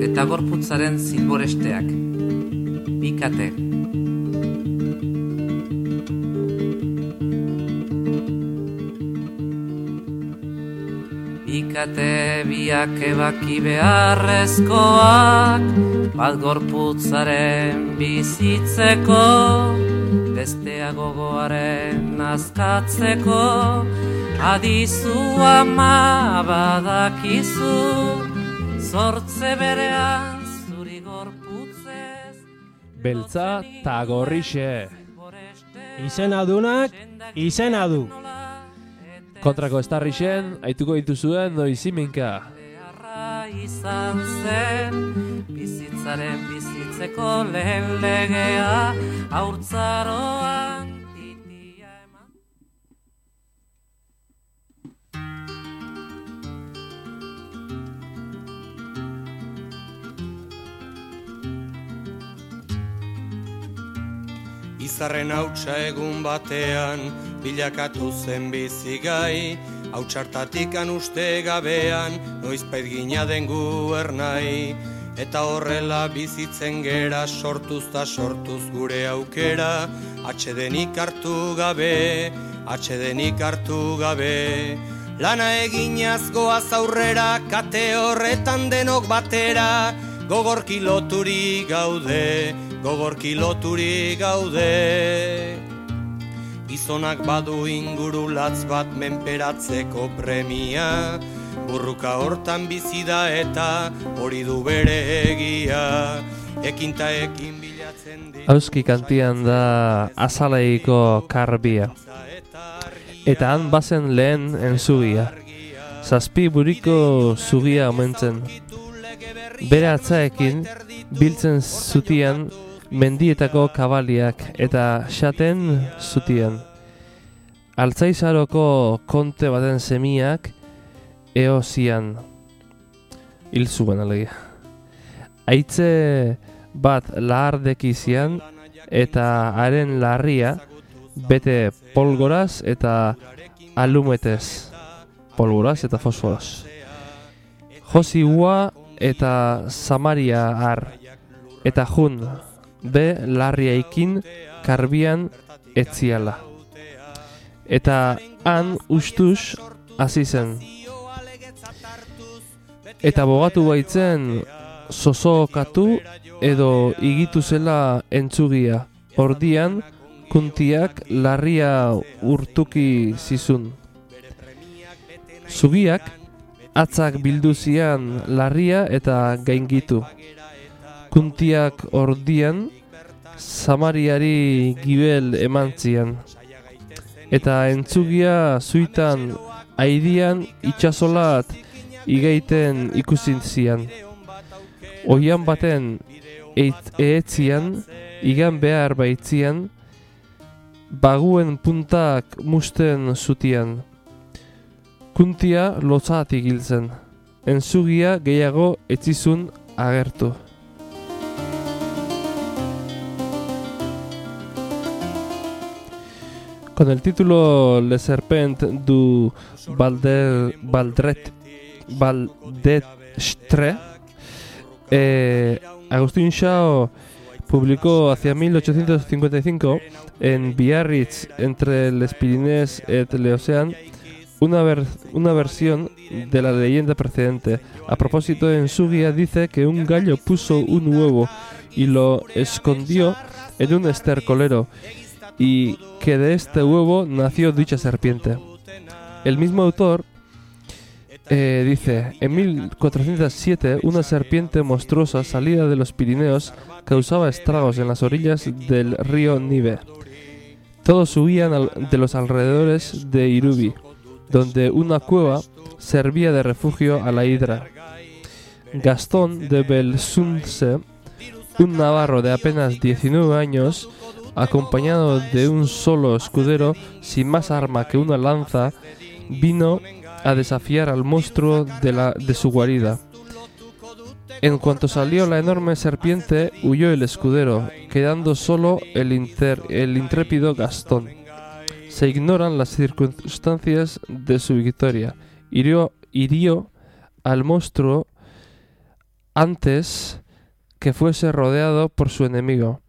eta gorputzaren zilboresteak. Bikate. Bikate biak ebaki beharrezkoak, bat gorputzaren bizitzeko, bestea gogoaren azkatzeko, adizu ama badakizu, zortze berean zuri gorputzez. Beltza ta gorrixe. Izenadunak, izena du. Kontrako estarrixen, aituko dituzuen noiziminka. Izan zen, bizitzaren bizitzeko lehen legea, haurtzaroan titia eman. Izarren hautsa egun batean, bilakatu zen bizigai, hautsartatikan uste gabean, noizpait gina den guernai. Eta horrela bizitzen gera, sortuz ta sortuz gure aukera, atsedenik hartu gabe, atsedenik hartu gabe. Lana eginaz goaz aurrera, kate horretan denok batera, gogorki loturi gaude, gogorki loturi gaude. Gizonak badu inguru latz bat menperatzeko premia, burruka hortan bizi da eta hori du bere egia, ekinta ekin bilatzen ditu. Auski kantian da azaleiko karbia. Eta han bazen lehen entzugia. Zazpi buriko zugia omentzen. Bere atzaekin biltzen zutian mendietako kabaliak eta xaten zutian. Altzaizaroko konte baten semiak eozian. Hil zuen alegia. Aitze bat lahardekizian eta haren larria bete polgoraz eta alumetez. Polgoraz eta fosforaz. Josi ua eta Samaria har. Eta jun be larriaikin karbian etziala. Eta han ustuz hasi zen. Eta bogatu baitzen zozokatu edo igitu zela entzugia. Ordian kuntiak larria urtuki zizun. Zubiak atzak bilduzian larria eta gaingitu. Kuntiak ordian Samariari gibel emantzian. Eta entzugia zuitan aidian itxasolat igaiten ikusizian. Oian baten eetzian, igan behar baitzian, baguen puntak musten zutian. Kuntia lotzatik hiltzen. Entzugia gehiago etzizun agertu. Con el título Le Serpent du Valdestre, Agustín Chao publicó hacia 1855 en Biarritz, entre les Pyrénées et l'Océan, una versión de la leyenda precedente. A propósito, en su guía dice que un gallo puso un huevo y lo escondió en un estercolero, y que de este huevo nació dicha serpiente. El mismo autor dice, en 1407 una serpiente monstruosa salida de los Pirineos causaba estragos en las orillas del río Nive. Todos huían de los alrededores de Irubi, donde una cueva servía de refugio a la hidra. Gastón de Belsunce, un navarro de apenas 19 años, acompañado de un solo escudero sin más arma que una lanza, vino a desafiar al monstruo de su guarida. En cuanto salió la enorme serpiente, huyó el escudero, quedando solo el intrépido Gastón. Se ignoran las circunstancias de su victoria. Hirió al monstruo antes que fuese rodeado por su enemigo,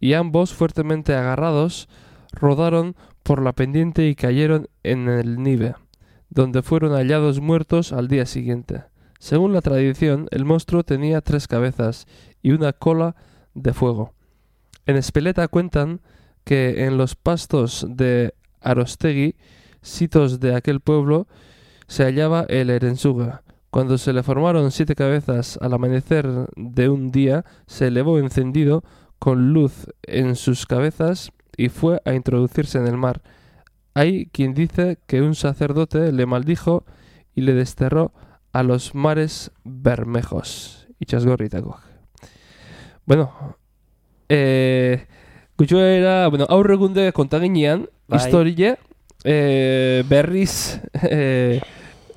y ambos, fuertemente agarrados, rodaron por la pendiente y cayeron en el Nive, donde fueron hallados muertos al día siguiente. Según la tradición, el monstruo tenía 3 cabezas y una cola de fuego. En Ezpeleta cuentan que en los pastos de Arostegui, sitos de aquel pueblo, se hallaba el Erensuga. Cuando se le formaron 7 cabezas al amanecer de un día, se elevó encendido con luz en sus cabezas y fue a introducirse en el mar. Hay quien dice que un sacerdote le maldijo y le desterró a los mares bermejos. Itxasgorritakoak. Bueno, gutxoera, aurregunde kontaginean, historie, berriz,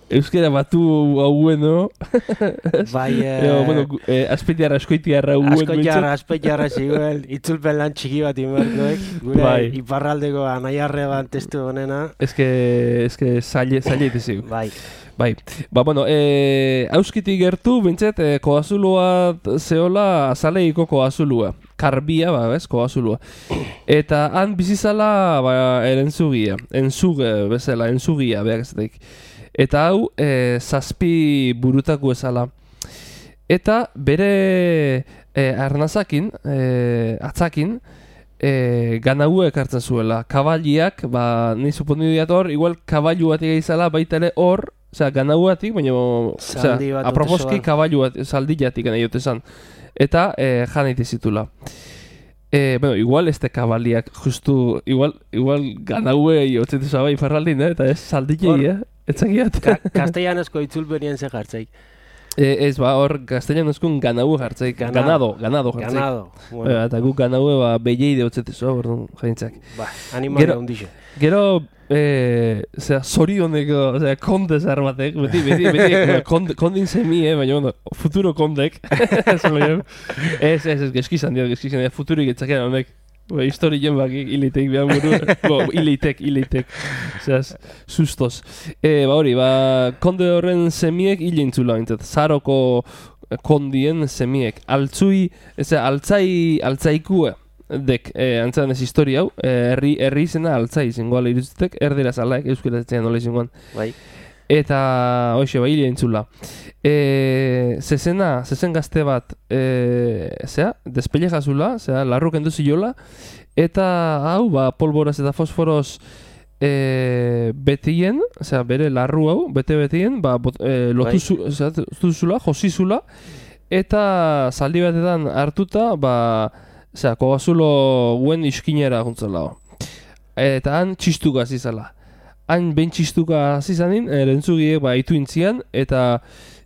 euskera batu hauen, Bai, azpeitiarra, askoitiarra hauen. Azpeitiarra ziguel, itzulpen lan txiki bat inbertuek, gure Bai. iparraldeko anaiarreban testu honena. Ez que zaila zigu. Bai. Bai, auskitik gertu, bintzet, koazuloa zehola azaleiko koazulua. Karbia, koazulua. Eta han bizizala, erentzugia. Entzuge, bezala, entzugia, behar ezatik. Eta hau, 7 burutako ezala. Eta bere arnazakin, atzakin, ganauek hartzen zuela. Kabaliak, ni suponidu diator, igual kabailu batik izala, baita ere hor, ganauatik, baina, aproposki kabailu bat, zaldiatik gana jote zan. Eta jan zitula. Igual este kabaliak, justu, igual ganaue jotzen zaba iparraldin, eta ez zaldilei, etzakiat. Kastellanezko itzulpenien ze jartzeik. Ez, hor, castellanozkun ganau jartzeik. Ganado jartzeik. Ganado. Bueno. Eta guk ganaue, beieide hotzetezo, bordun, jaintzak. Animalia hundixe. Gero, zorioneko, konde zer batek, beti, kondin semie, baina, futuro kondek. Ez, geskizan dira, futurik etzakean honek. Historien bakik, ilitek behar buru. Ilitek. Zeraz, sustos. Hori, konde horren semiek hilintzula, zaroko kondien semiek. Altzaikue. Dek, antzaren ez historia hau, herri izena altzai zingoala iruzitek, erdera zalaek, euskera zetzean nola izingoan. Bai. Eta, hoxe, hile entzula. Zezen gazte bat, despele jazula, larruk enduzi jola, eta hau, polboraz eta fosforos betien, bere larru hau, betien, lotu zula, josizula, eta zaldi batetan hartuta, kogazulo guen iskinera juntzela. Eta han txistuka zizala. Han ben txistuka zizanin, erentzugiek itu intzian, eta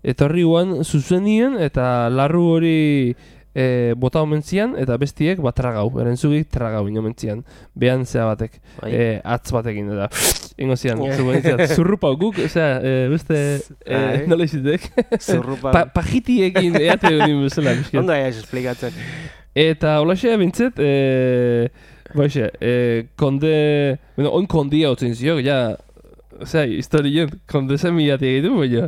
etorri guan zuzenien, eta larru hori bota omentzian, eta bestiek tragau, erentzugik tragau inomentzian. Behan zea batek, atz batekin, eta ingo zian, zurrupa guk, beste, nola izitek? Zurrupa. Pajitiekin eate honin bezala. Ondo aiz esplikatzen. Eta holaxe bintzet, konde, oin kondia hotzen ziok, historien, konde zemiatik egitu, baina,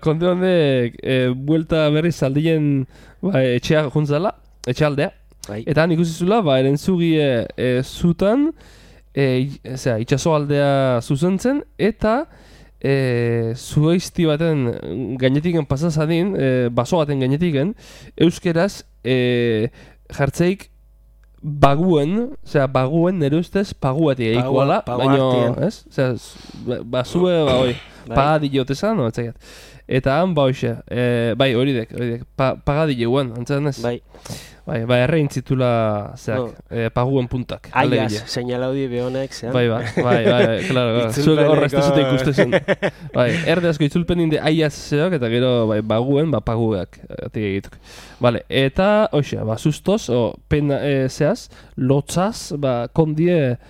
konde honek, buelta berriz aldien etxea juntzala, etxealdea, eta han ikusizula, erentzugie zutan, itxasoaldea zuzentzen, eta zuhaizti baten gainetiken pasazadin, baso baten gainetiken, euskeraz jartzeik baguen nire ustez paguatik egikoala, baina, ez? Basue, pagadile otezan, no, etzakiat. Eta han, horidek, pagadile guen, antzaren ez? Bai, errein zitula, paguen puntak. Aiaz, seinalaudi behonek, zean. Bai, klaro, zuek horra ez dezute ikustezen. Erde asko itzulpen inde aiaz zeok, eta gero, baguen, paguak, atik egituk. Eta, hoxe, sustos, pena zehaz, lotzaz, kondie,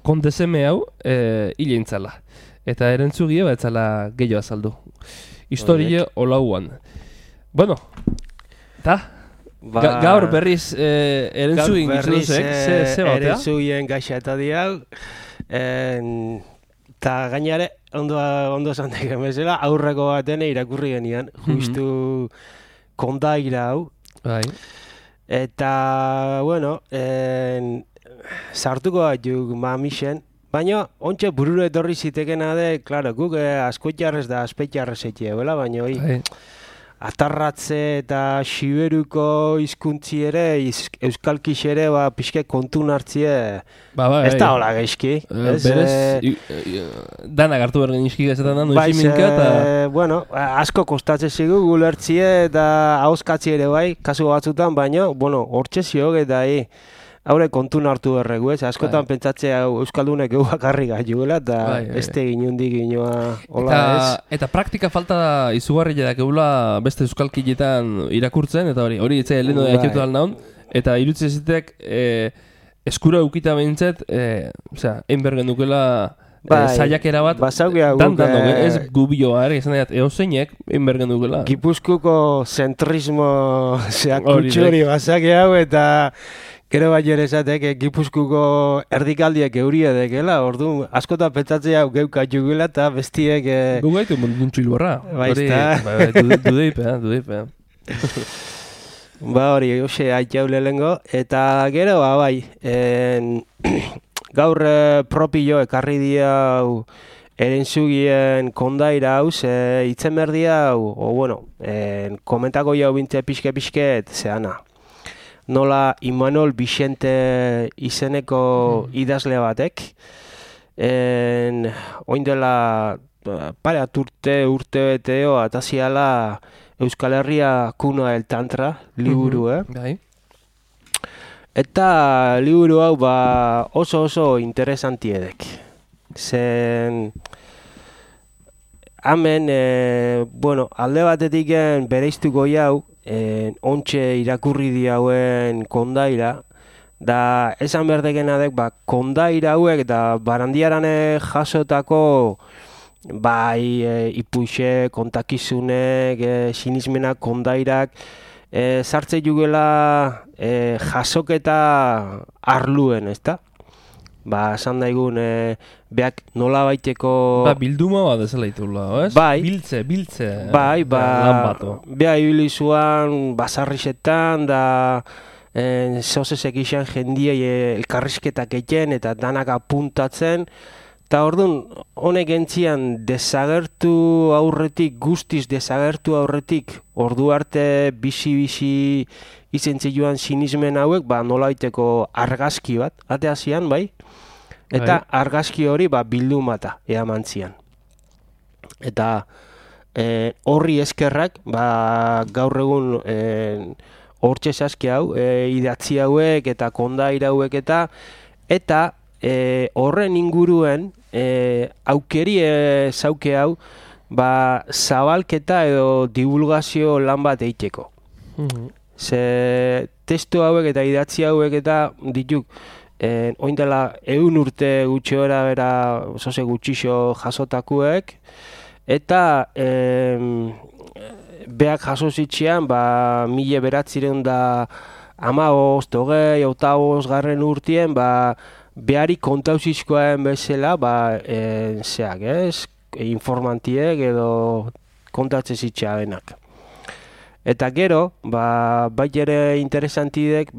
kondezeme hau, hile intzala. Eta erentzugie, etzala gehiago azaldu. Historie olauan. Bueno, eta... Gaur berriz erentzugin gizunozek, ze bat, erentzugien gaixa eta diau, eta gainare, ondo zantek emezela, aurreko baten irakurri genian, justu kondaira hau. Bai. Eta, bueno, sartuko bat juk mamixen, baina ontsa burure etorri zitekena de, klaro, guk askoitjarrez da aspetjarrez etie, bela, baina Bai. atarratze eta siberuko hizkuntzi ere, euskalkix ere, pixke kontun hartzie, Bai. ez da hola geizki. Berez, danak hartu behar genizki gazetan da, noiziminka eta... Bueno, asko kostatzen zigu gulertzie eta ahoskatzi ere bai, kasu batzutan, baina, bueno, hortxe ziok eta haure kontun hartu berregu, ez? Askotan pentsatzea euskaldunek egu bakarri gaiuela eta este ginundik ginoa hola ez. Eta praktika falta da izugarri jedak egula beste euskalkiletan irakurtzen, eta hori itzai lehenu da jakiutu naun, eta irutzi ezitek eskura eukita behintzet, egin bergen dukela zaiakera bat, ez gubioa, izan daiat, eozeinek egin bergen dukela. Gipuzkuko zentrismo kutxuri bazake hau eta gero bai ere esatek, Gipuzkuko erdikaldiek euria dekela, ordu askotan pentsatzea geuka jugula eta bestiek... Gu gaitu munduntzu hilborra. Dudeipe. Hori, hoxe haitxau lehengo, eta gero, bai, gaur propio ekarri diau erentzugien kondaira hau, itzen berdi hau, komentako jau bintze pixke-pixket, zeana. Nola Imanol Vicente izeneko idazle batek, oin dela pareat urte beteo ataziala Euskal Herria Kuna el Tantra liburu, Eta liburu hau oso interesantiedek. Zen hemen, alde batetik bereiztuko jau, ontxe irakurri diauen kondaira, da esan berdekena dek, kondaira hauek da barandiarane jasotako ipuxe, kontakizunek, sinismenak, kondairak, sartze jugela jasoketa arluen, ezta? Esan daigun, beak nola baiteko... Bilduma bat ezela itula, ez? Biltze. Beha ibilizuan basarrisetan, da zozesek izan jendiei elkarrizketak egiten eta danak apuntatzen. Eta orduan, honek entzian desagertu aurretik, guztiz desagertu aurretik, ordu arte bizi izentzi joan sinismen hauek, nola baiteko argazki bat, ateazian, bai? Eta argazki hori bildumata eaman zian. Eta horri eskerrak, gaur egun hortxe saski hau, idatzi hauek eta kondaira hauek eta horren inguruen aukeri zauke hau zabalketa edo divulgazio lan bat eiteko. Ze testu hauek eta idatzi hauek eta dituk oin dela 100 urte gutxi bera zoze gutxixo jasotakuek eta beak jaso zitxean 1900 garren urtien behari kontauzizkoen bezala informantiek edo kontatze zitxea benak. Eta gero, bai ere interesantidek,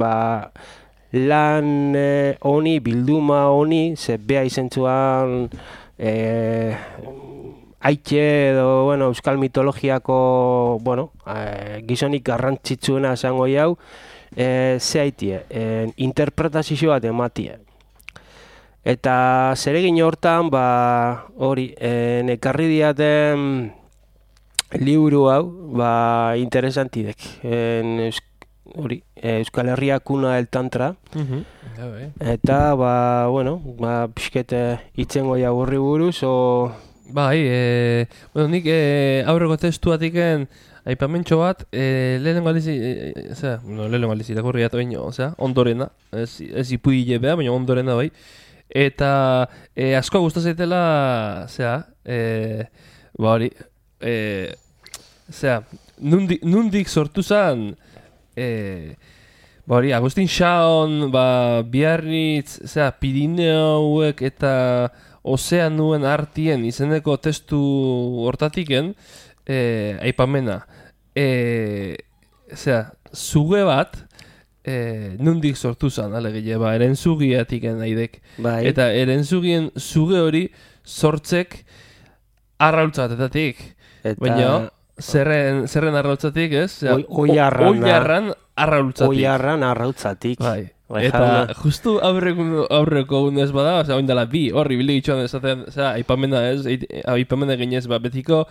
lan honi, bilduma honi, ze beha izentzuan haitxe edo euskal mitologiako gizonik garrantzitsuena esango jau, ze haitie, interpretazio bat ematie. Eta zeregin hortan, hori, ekarri diaten liburu hau, interesantidek. Euskal Herria Kuna el Tantra. Eta, pixkete itzengo jau horri buruz, nik aurreko testuatiken aipamentxo bat, lehenengo aldiz irakurri eta ondorena, ez ipuile beha, baina ondorena bai. Eta asko gusta zaitela, nundik sortu zan, Agustin Xaon, Biarritz, Pirineuek eta Ozeanuen artien izeneko testu hortatiken, aipamena. zuge bat, nundik sortu zen, alegia, erentzugiatik naidek. Bai. Eta erentzugien zuge hori sortzek arraultzatetatik. Baina, zerren arraultzatik, ez? Oiarran arraultzatik. Oiarran arraultzatik. Bai. Eta justu aurreko unez bada, oin dela horri bilde gitxoan ezaten, aipamena ez, aipamena ginez, betiko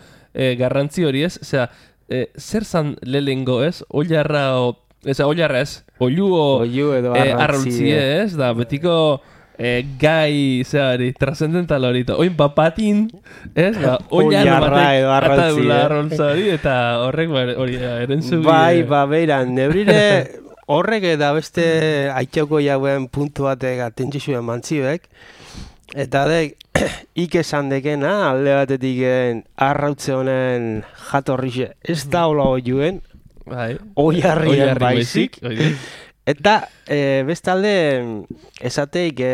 garrantzi hori ez, zer zan lehengo ez, oilarra ez, oilu edo arraultzi ez, da betiko gai, trascendental hori, oin papatin, ez, oilarra batek atadula arraultza hori, eta horrek hori erentzugi. Bai, beiran, nebrire... Horrek eta beste aitxauko jauen puntu batek atentzizuen mantzibek. Eta ik esan dekena, alde batetik arrautze honen jatorrixe ez da hola oiuen, oiarrien baizik. Eta bestalde esateik,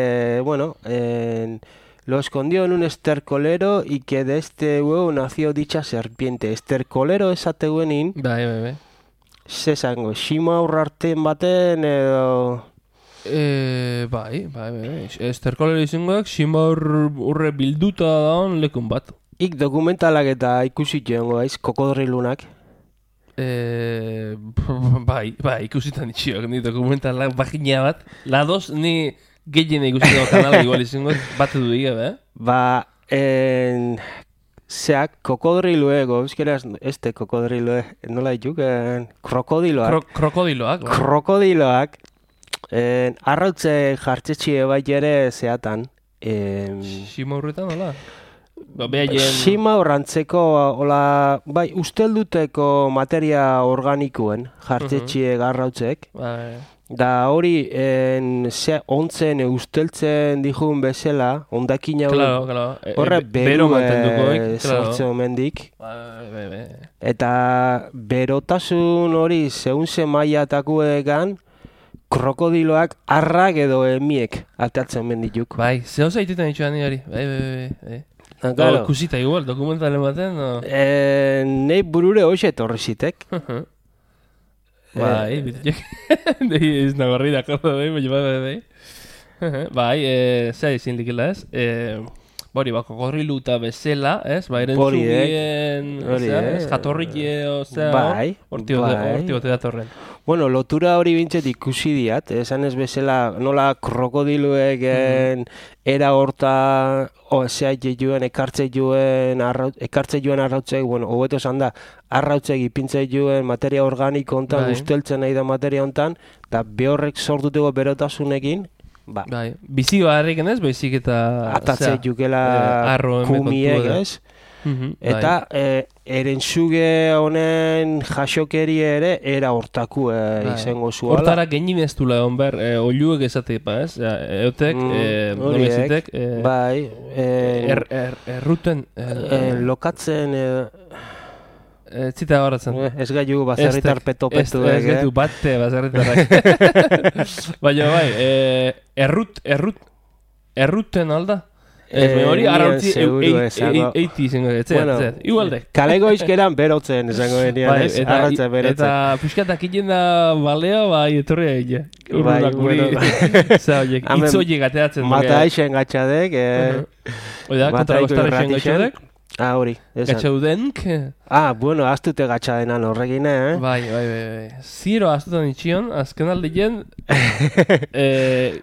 lo escondió en un estercolero y que de este huevo nació dicha serpiente. Estercolero esateguenin... Bai. Zezango, xima aurrarten baten edo... Bai. Esterkolero izangoak, xima urre bilduta daun lekun bat. Ik dokumentalak eta ikusit joango aiz, kokodrilunak. Bai, ikusitan itxiok, ni dokumentalak bagina bat. La dos, ni gehien ikusitan kanala igual izangoak, bat edu diga, Zeak, kokodriluego, bizkeraz, kokodrilue, nola dituk, krokodiloak. Krokodiloak, arrautze jartzetxie bai ere zeatan. Xima horretan, hola? Xima horrantzeko, bai, ustelduteko materia organikoen jartzetxie garrautzek. Da hori ontzen usteltzen dijun bezala, ondakin hau horre beru sortzen omendik. Eta berotasun hori zehunze maiatako egan, krokodiloak arrak edo emiek atatzen omendituk. Bai, zehuz aitetan itxuan hori, bai. Kusita igual, dokumentalen baten, no? Nei burure hoxe etorri zitek. Bai, bitek. Ez nabarri da, bai. Bai, zera izin likela ez. Bori, kokodrilu eta bezala, ez? Ba, erentzugien, jatorrike, horti bote datorren. Bueno, lotura hori bintzet ikusi diat, esan ez bezala, nola krokodiluek era horta, ekartze joen arrautzek, bueno, hobeto esan da, arrautzek ipintze joen materia organiko hontan, usteltzen nahi da materia hontan, eta behorrek sortuteko berotasunekin, bai, bizi barriken ez, baizik eta... Atatze jukela kumiek ez, eta erentzuge honen jasokeri ere era hortaku izango zuala. Hortara genin ez dula egon behar, oiluek esatik, ez? Eutek, nolezitek... Bai, erruten... Lokatzen... Zita horatzen. Ez gaiu bazerritar peto-petu. Ez gaitu bate bazerritarrak. Baina bai, erruten alda? Ez, hori arrautzi eiti izango, igualde. Kalego izkeran berotzen izango genian, ez? Arrautza berotzen. Eta puskatak inen da balea, bai, etorri egin. Bai, bueno. Itzoiek ateatzen. Mata aixen gatxadek. Oida, kontra bastarra aixen gatxadek. Hori, esan. Gatxaudenk. Bueno, aztute gatxadenan horrekin, Bai. Ziro aztutan itxion, azken aldien,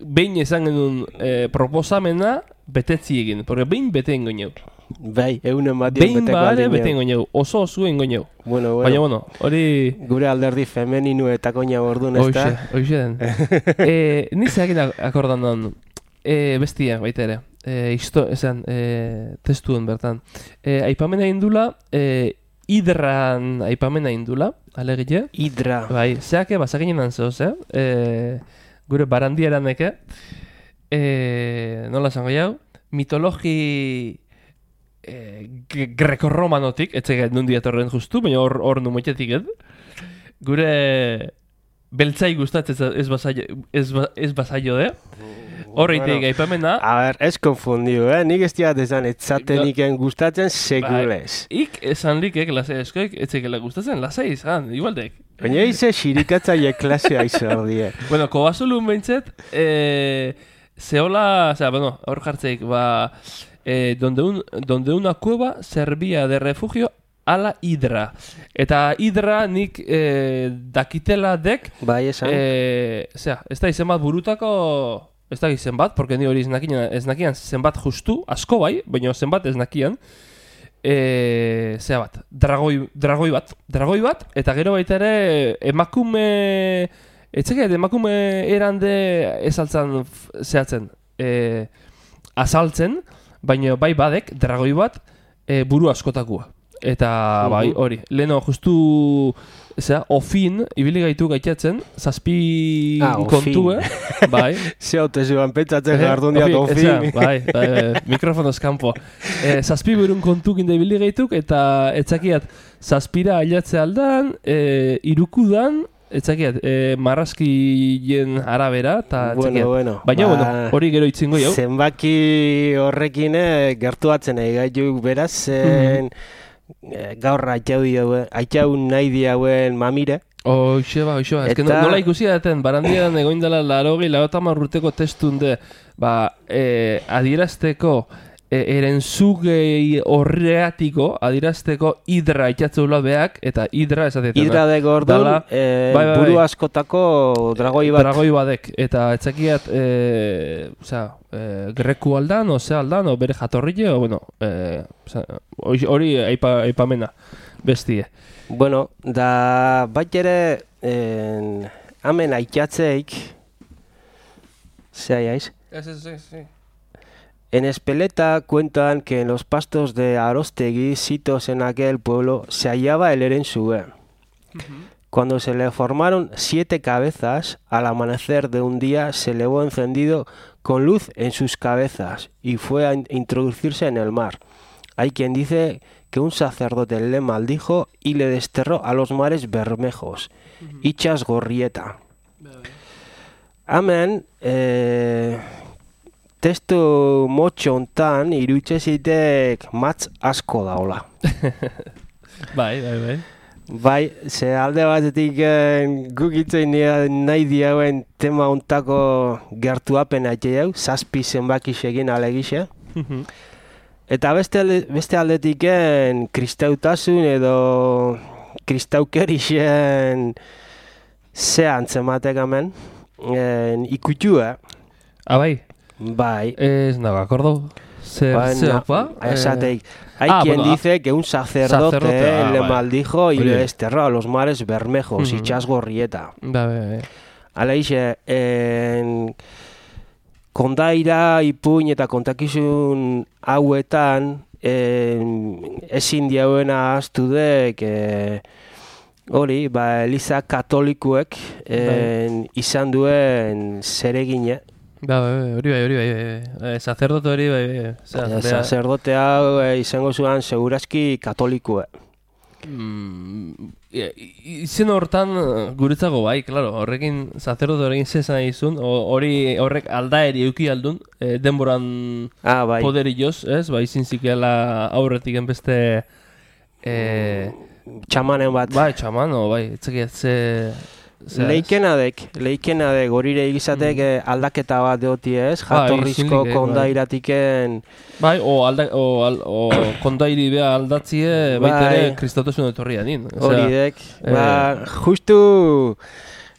behin esan genuen proposamena betetzi egin, porque behin bete engo neu. Bai, eunen bat dion beteko aldin bete engo neu, oso engo neu. Baina, hori... Gure alderdi femeninu eta koina bordun, ez da? Hoxe den. Nizeak akordan dan, bestia, baita ere. Testuen bertan. Aipamena indula, hidran aipamena indula, alegile. Hidra. Bai, zeake, bazakinen antzoz, gure barandiaraneke. Nola zango jau? Mitologi greco-romanotik, etxegat nundi atorren justu, baina hor numoitetik, Gure beltzai gustatzen ez bazaio, Horreitik aipamena. A ber, ez konfundiu, Nik ez diat esan etzateniken gustatzen segulez. Ik esan likek, lasai eskoik, etzekela gustatzen, lasai izan, igualdek. Baina ize xirikatzaile klasea izan die. Bueno, Kobasulun behintzet, zehola, hor jartzeik, donde una cueva servía de refugio a la hidra. Eta hidra nik dakitela dek, Bai, esan. ez da izen bat burutako, ez da izen bat, porque ni hori ez nakian zenbat justu, asko bai, baina zenbat ez nakian, dragoi bat, eta gero baita ere emakume, emakume erande ezaltzan zehatzen, azaltzen, baina bai badek, dragoi bat, buru askotakua. Eta bai, hori, leheno justu, ofin, ibili gaitu gaitatzen, zazpi kontue, bai. Ze haute zuan pentsatzen jardun diat ofin. Bai, mikrofonoz kanpo. Zazpi burun kontukin da ibili gaituk, eta etzakiat, zazpira ailatze aldan, irukudan, etzakiat, marrazkien arabera, eta etzakiat. Bueno. Baina, hori gero itzingo jau. Zenbaki horrekin gertuatzen gaituk beraz, zen gaur aitau nahi diauen mamire. Hoxe ba, ez que nola ikusi daten, barandian egoin dela 80 urteko testunde, adierazteko erentzugei horreatiko, adierazteko hidra itxatzeula beak, eta hidra esatetan. Hidra deko orduan, buru askotako dragoi bat. Dragoi badek, eta etzakiat, greku aldan, o bere jatorrile, hori aipamena, bestie. Bueno, da bat ere, hemen aitxatzeik, zehaiaiz? Sí. En Espeleta cuentan que en los pastos de Arostegui, sitos en aquel pueblo, se hallaba el Erensue. Cuando se le formaron 7 cabezas, al amanecer de un día se elevó encendido con luz en sus cabezas y fue a introducirse en el mar. Hay quien dice que un sacerdote le maldijo y le desterró a los mares bermejos, Itxas Gorrieta. Hemen, testu motxo hontan irutxe zitek matz asko daola. Bai. Bai, ze alde batetik guk itzein nahi diauen tema hontako gertuapen aitei hau, 7 zenbaki egin alegixe. Eta beste aldetik kristautasun edo kristaukerixen ze antzematek hemen, ikutxua. Bai? Bai. Ez nago akordo. Esateik. Hay quien dice que un sacerdote le maldijo y le desterró a los mares bermejos, Itxas Gorrieta. Bai. Hala ixe, kondaira, ipuin eta kontakizun hauetan, ezin diauena ahaztu dek, hori, Eliza katolikuek izan duen zeregine. Hori bai. Sacerdote hori bai. Sacerdote hau izango zuen segurazki katolikue. Izen hortan guretzago bai, claro, horrekin sacerdote horrekin zezan izun, horrek aldaeri euki aldun, denboran poderioz, ez? Izin zikela aurretik enbeste txamanen bat. Bai, txamano, etzakiat ze... Leikena dek, gorire egizatek aldaketa bat deoti ez, jatorrizko kondairatiken... Bai, o kondairi beha aldatzie, baitere kristautasun etorria din. Hori dek, justu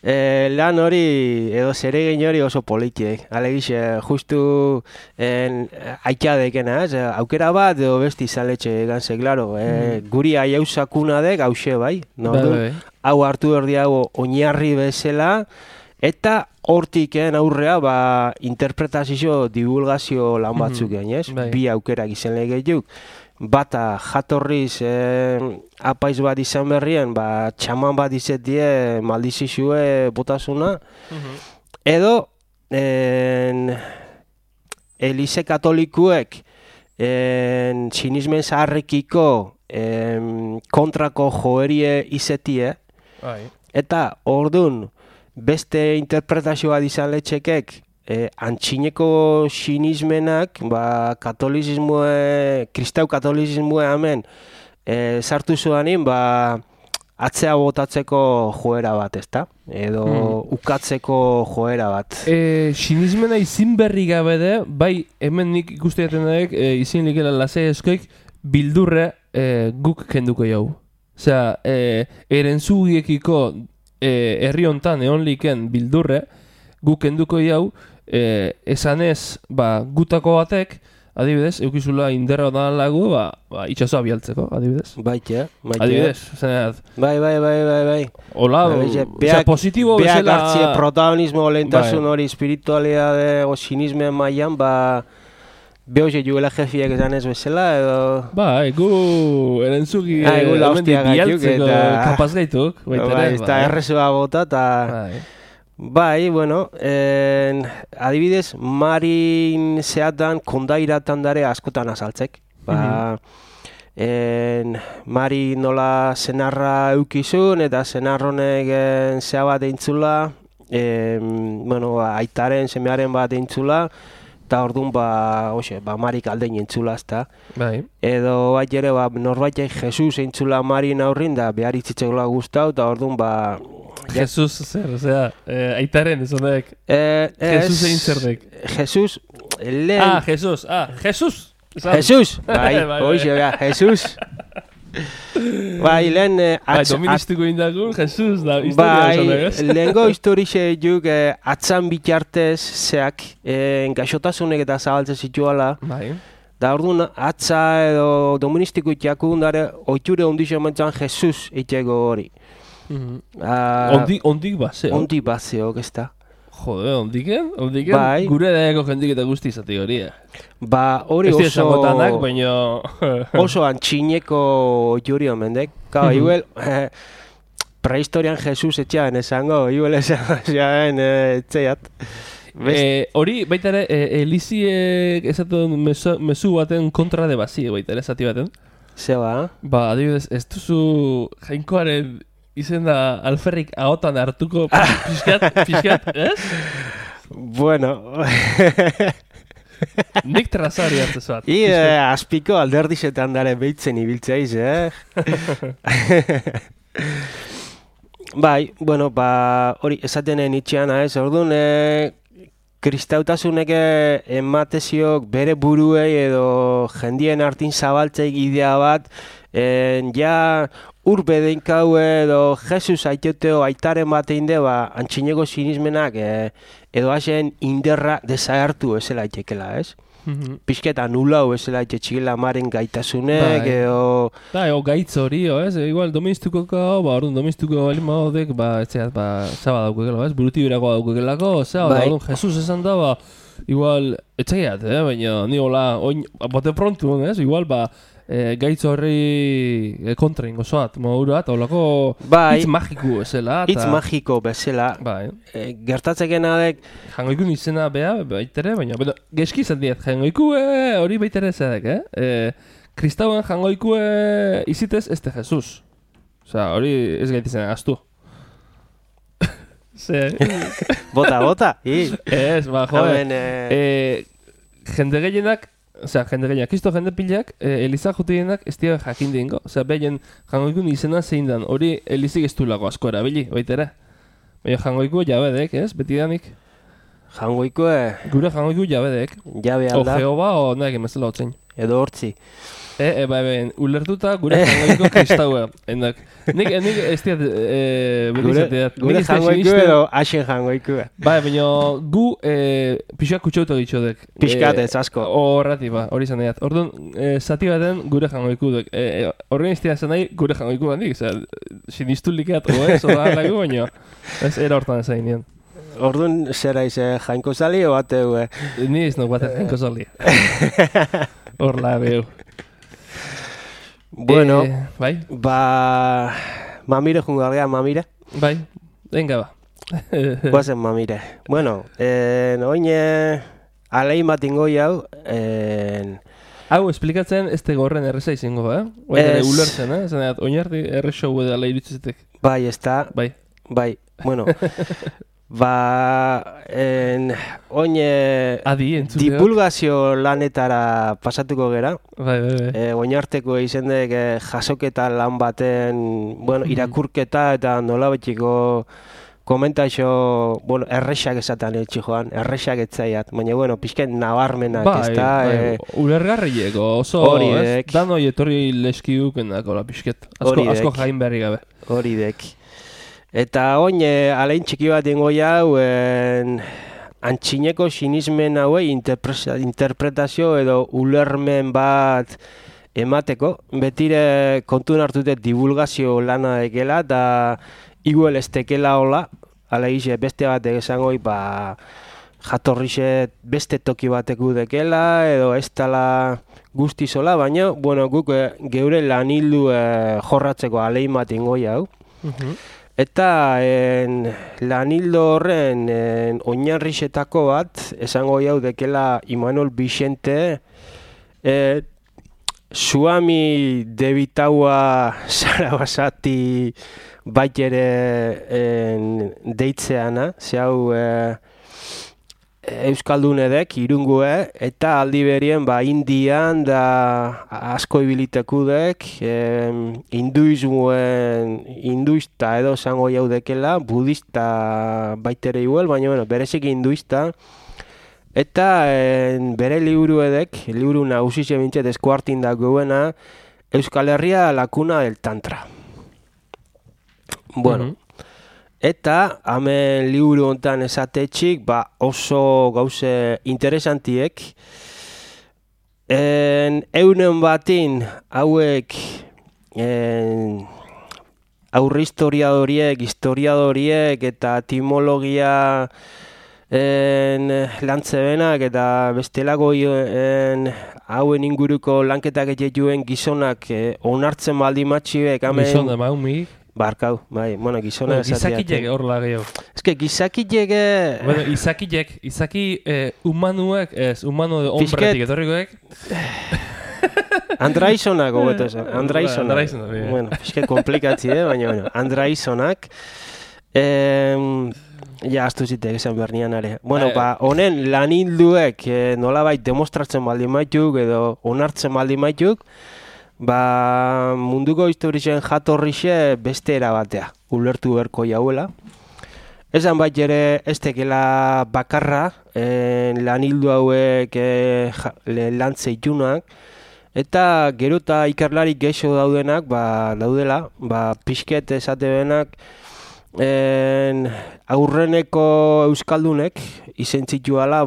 lan hori edo zeregin hori oso politiek. Alegixe, justu aitadekena, aukera bat edo besti zaletxe ganze, klaro. Guri aiausakuna dek, hause bai, hau hartu erdi hau oinarri bezala, eta hortik aurrea interpretazio divulgazio lan batzuk ez? Bi aukerak izan legeiuk. Bata jatorriz apaiz bat izan berrien, txaman bat izetie maldizizue botasuna, edo Elize katolikuek sinismen zaharrekiko kontrako joerie izetie, eta ordun beste interpretazioa izan letxekek antxineko sinismenak, kristau katolizismoa hemen sartu zuanin, atzea botatzeko joera bat, ezta? Edo ukatzeko joera bat. Sinismena izin berri gabe de, bai hemen nik ikuste jaten daik, izin likela lasai eskoik, bildurre guk kenduko jau. Osea, erentzugiekiko herri hontan egon liken bildurre, guk kenduko jau, esanez, gutako batek, adibidez, eukizula inderra odan lagu, itxasoa bialtzeko, adibidez. Baite. Adibidez, zeneat. Bai. Hola, positibo bezala... Beak hartzie protagonismo lehentasun hori espiritualidade o sinismen mailan, behoze juela jefiek esan ez bezala, edo... gu erentzugi bialtzeko kapaz gaituk, baita, eta errezoa bota, eta... Bai, bueno, adibidez, marin zeatan kondairatan dare askotan azaltzek. Mari nola senarra eukizun eta senarronek zea bat eintzula, aitaren semearen bat eintzula, eta orduan, marik aldein entzula, ezta. Bai. Edo bat ere, norbaitek Jesus entzula marin aurrin, da behar itzitzekola guztau, eta orduan, Jesus, zer, aitaren ez honek. Jesus egin zerdek. Jesus, lehen... Jesus! Jesus! Bai, hoxe, Jesus! Bai, lehen... Doministiko indagun, Jesus da historia esan egez. Bai, lehengo historixe juk atzan bitartez zeak gaixotasunek eta zabaltzen zituala. Bai. Da orduan atza edo doministiko itxakun dara oiture ondixo emantzan Jesus itxego hori. Ondik baseo. Ondik baseo, ez da. Jode, ondiken? Bai. Gure dago jendik eta guzti izati hori. Hori oso... Ez esangotanak, baina... oso antxineko juri omendek. Igual, prehistorian Jesus etxean esango, igual esan etxeat. Hori, baita ere, Eliziek esaten mezu baten kontra de bazi, baita ere, esati baten. Zeba? Adibidez, ez duzu jainkoaren izen da alferrik ahotan hartuko pixkat, ez? Bueno... Nik trazari hartu zuat. Azpiko alderdizetan dara behitzen ibiltzeiz, Bai, bueno, hori esatenen itxeana, ez? Orduan, kristautasunek emateziok bere buruei edo jendien hartin zabaltzeik idea bat, urbe deinkau edo Jesus aitoteo aitaren batein de, antxineko sinismenak edo hasen inderra desagertu ezela aitekela, ez? Pixketa nulau ezela aitetxikela maren gaitasunek edo... Ego gaitz hori, ez? Igual doministuko orduan doministuko balin badodek, etxeat, zaba daukekela, ez? Buruti berakoa daukekelako, orduan Jesus esan da, igual, etxeat, baina ni hola, bote prontu, ez? Igual, gaitz horri kontra ingo zoat, modurat, holako hitz magiko bezala. Hitz magiko bezala. Gertatzeken adek... Jangoikun izena beha, baitere, baina geski izan diet, jangoikue hori baitere zedek, Kristauen jangoikue izitez ez de Jesus. Osea, hori ez gaitizena gaztu. Bota. Ez, jende gehienak, kisto jende pilak, Eliza jutienak ez dira jakin dingo. Behien jangoikun izena zein dan, hori Elizik ez du lago asko erabili, baitera. Baina jangoiku jabedek, ez? Betidanik. Jangoikue? Gure jangoiku jabedek. Jabe alda. O Jehova, o nahi emezela otzein. Edo hortzi. Ulertuta gure jangoiko kristaua. Nik ez diat berizateat. Gure jangoiku edo hasen jangoiku. Baina gu pixak kutsauta ditxodek. Pixkatez, asko. Horrati, hori zan edat. Orduan, zati baten gure jangoiku duk. Horren iztia zen nahi gure jangoiku bandik. Sinistu likeat, ez, oda lagu, baina ez era hortan ez hain. Orduan, zera ize jainko zali o bateu? Ni ez nok baten jainko zali. Horla, behu. Bueno, bai? Mamire jungargea, mamire? Bai, venga ba. Guazen mamire. Bueno, oine alein bat ingoi hau. Hau, esplikatzen ez tegorren erreza izango, Oine ulertzen, Zaneat, oinarri errexo edala iritzetek. Bai, ez da. Bai. Bueno. Oin divulgazio lanetara pasatuko gera. Bai. Oinarteko izendek jasoketa lan baten, irakurketa eta nolabaitiko komentaixo, errexak esaten etxi joan, errexak etzaiat, baina, pixket nabarmenak, ez da? Ulergarrieko, oso, ez? Danoi etorri leskidukenako, pixket, asko jain berri gabe. Hori dek. Eta oin, alein txiki bat ingo jau, antxineko sinismen haue interpretazio edo ulermen bat emateko. Betire kontun hartute divulgazio lana dekela, eta igual ez tekela hola, ala ize beste bat egizangoi, jatorrixe beste toki bateku dekela, edo ez tala guztizola, baina, guk geure lanildu jorratzeko alein bat ingo jau. Eta lanildo horren oinarrixetako bat, esango jau dekela Imanol Vicente, Suami debitaua Sarabasati baitere deitzeana, zehau Euskaldunedek, irungue, eta aldi berien Indian da asko ibilitekudek, hinduista edo zango jaudekela, budista baitere igual, baina berezik hinduista, eta bere liburuedek, liburu nagusize bintzet eskuartin da goena, Euskal Herria lakuna del tantra. Eta, hemen liburu hontan esatetxik, oso gauze interesantiek. Eunen batin, hauek aurre historiadoriek eta etimologia lantzebenak eta bestelako hauen inguruko lanketak etxetuen gizonak onartzen baldi matxiek. Gizona maumik. Barkau, gizona esatiak. Gizakilek horla gehiago. Ez que gizakilek... Izaki humanuek, humano de hombretik etorrikoek. Andraizonak, gobeto esan. Andraizonak. Fiske komplikatzi, baina, Andraizonak. Aztu zitek esan behar nian are. Honen lanilduek nolabait demostratzen baldi maituk edo onartzen baldi maituk, munduko historizen jatorrixe beste erabatea, ulertu berko jauela. Esan bat ere ez tekela bakarra, lanildu hauek lantzeitunak, eta gero eta ikerlarik geixo daudenak, daudela, pixket esate benak, aurreneko euskaldunek izentzituala,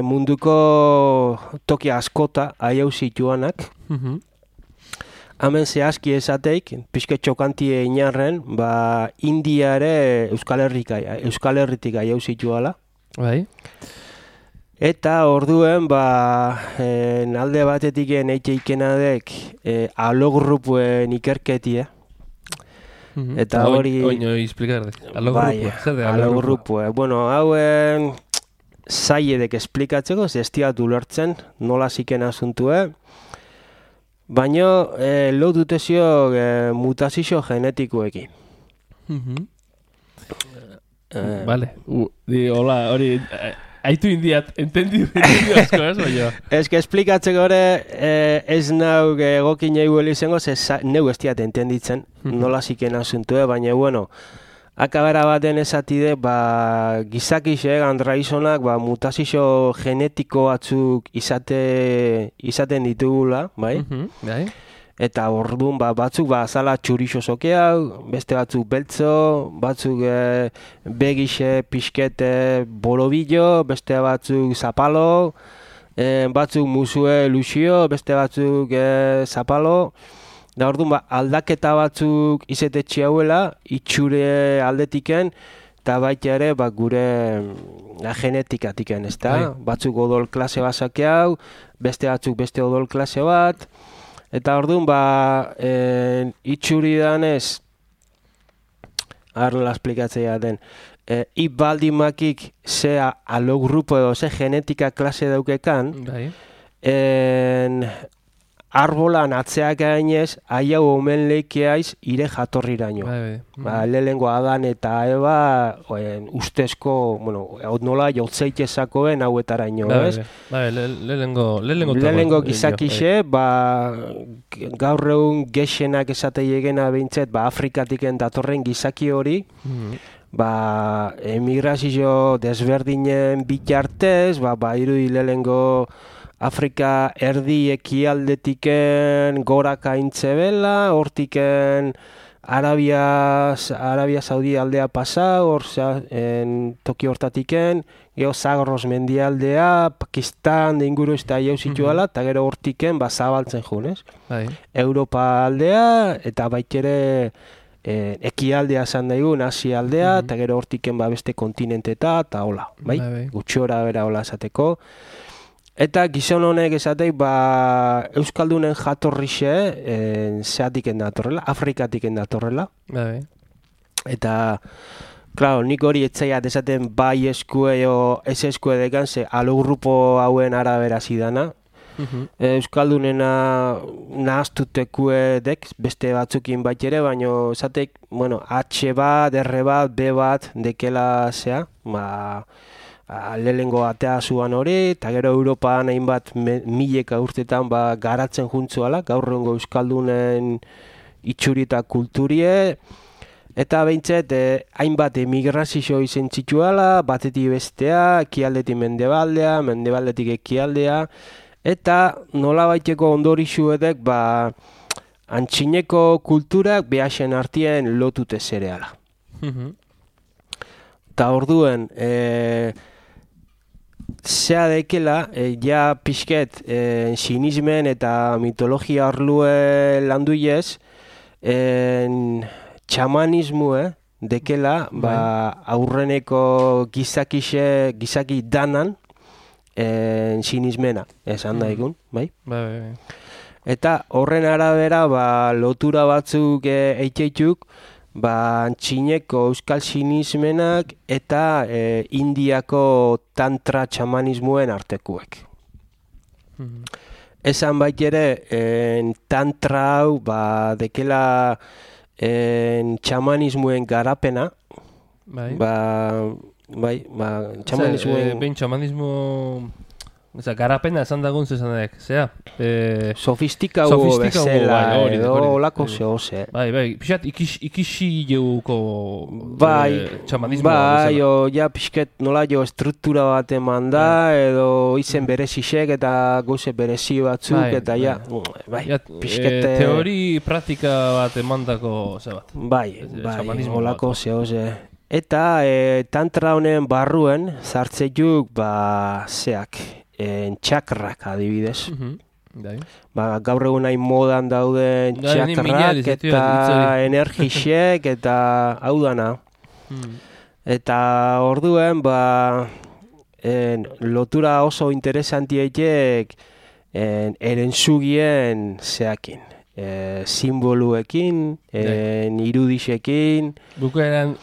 munduko toki askota aiau zituanak. Hemen zehazki esateik, pixke txokantie inarren, India ere Euskal Herritik aiau zituala. Bai. Eta orduen, alde batetik eitxe ikenadek alogrupuen ikerketie. Eta hori... Oino izplikardek, alogrupue. Hauen... zaiedek esplikatzeko, zestiat ulertzen, nola ziken asuntue, baina lo dutezio mutazio genetikoekin. Vale, hola, hori, haitu indiat, entendidu asko ez, baina. Ez que esplikatzeko hori ez nauk egokin eguel izango, neu estiat entenditzen, nola ziken asuntue, baina, akabera baten esatide, gizakisek, andraizonak, mutazio genetiko batzuk izaten ditugula, bai? Eta orduan batzuk azala txurixo sokeau, beste batzuk beltzo, batzuk begixe, pixkete, borobillo, beste batzuk zapalo, batzuk musue luxio, beste batzuk zapalo. Da orduan, aldaketa batzuk izetetxe hauela, itxure aldetiken, eta baita ere gure genetikatiken, ez da? Batzuk odol klase bat hau, beste batzuk beste odol klase bat, eta orduan, itxuri danez, nola esplikatzea den, baldimakik zea alogrupo edo ze genetika klase daukekan, arbolan atzeak gainez, haiau omen leikeaiz ire jatorriraino. Lehenengo Adan eta Eva ustezko, nola jotzeitezakoen hauetaraino, ez? Lehenengo gizakixe, gaur egun gexenak esate egena behintzet, Afrikatiken datorren gizaki hori, emigrazio desberdinen bitartez, irudi lehenengo Afrika erdi ekialdetiken goraka intzebela, hortiken Arabia Saudi aldea pasa, toki hortatiken, gero Zagros mendialdea, Pakistan inguru ez da jau zituala, eta gero hortiken zabaltzen junez. Europa aldea, eta baitere ekialdea zan daigun, Asia aldea, eta gero hortiken beste kontinenteta, eta hola, gutxora bera hola esateko. Eta gizon honek esatei, Euskaldunen jatorrixe zeatiken datorrela, Afrikatiken datorrela. Eta, klaro, nik hori etzaiat esaten bai eskue o ez eskue dekan, ze alogrupo hauen arabera zidana. Euskaldunena nahaztutekuedek, beste batzukin baitere, baina esatek, H bat, R bat, B bat, dekela zea, lehenengo atea zuan hori, eta gero Europan hainbat mileka urtetan garatzen juntzuala, gaur egungo Euskaldunen itxuri eta kulturie, eta behintzet hainbat emigrazio izen txituala, batetik bestea, ekialdetik mendebaldea, mendebaldetik ekialdea, eta nola baiteko ondorixuedek antxineko kulturak behasen artien lotute zereala. Eta orduen, zea dekela, ja pixket sinismen eta mitologia arlue landuiez, txamanismue dekela, aurreneko gizaki danan sinismena, esan daigun, bai? Eta horren arabera, lotura batzuk eitxeituk, antxineko euskal sinismenak eta Indiako tantra txamanismuen artekuek. Esan baitere, tantra hau dekela txamanismuen garapena, txamanismuen... Behin txamanismo... garapena esan dagun zezanek, zea? Sofistikau bezala, edo olako zehose. Pixat ikisi jeuko txamanismo. Ja pixket nola jo estruktura bat eman da, edo izen berezisek eta goze berezi batzuk, eta ja, pixket... Teori praktika bat emandako, ze bat? Olako zehose. Eta tantra honen barruen, zartzeiuk, zeak, txakrak adibidez. Gaur egun nahi modan dauden txakrak eta energixek eta hau dana. Eta orduen lotura oso interesantiek erentzugien zeakin. Simboluekin, irudixekin. Bukaeran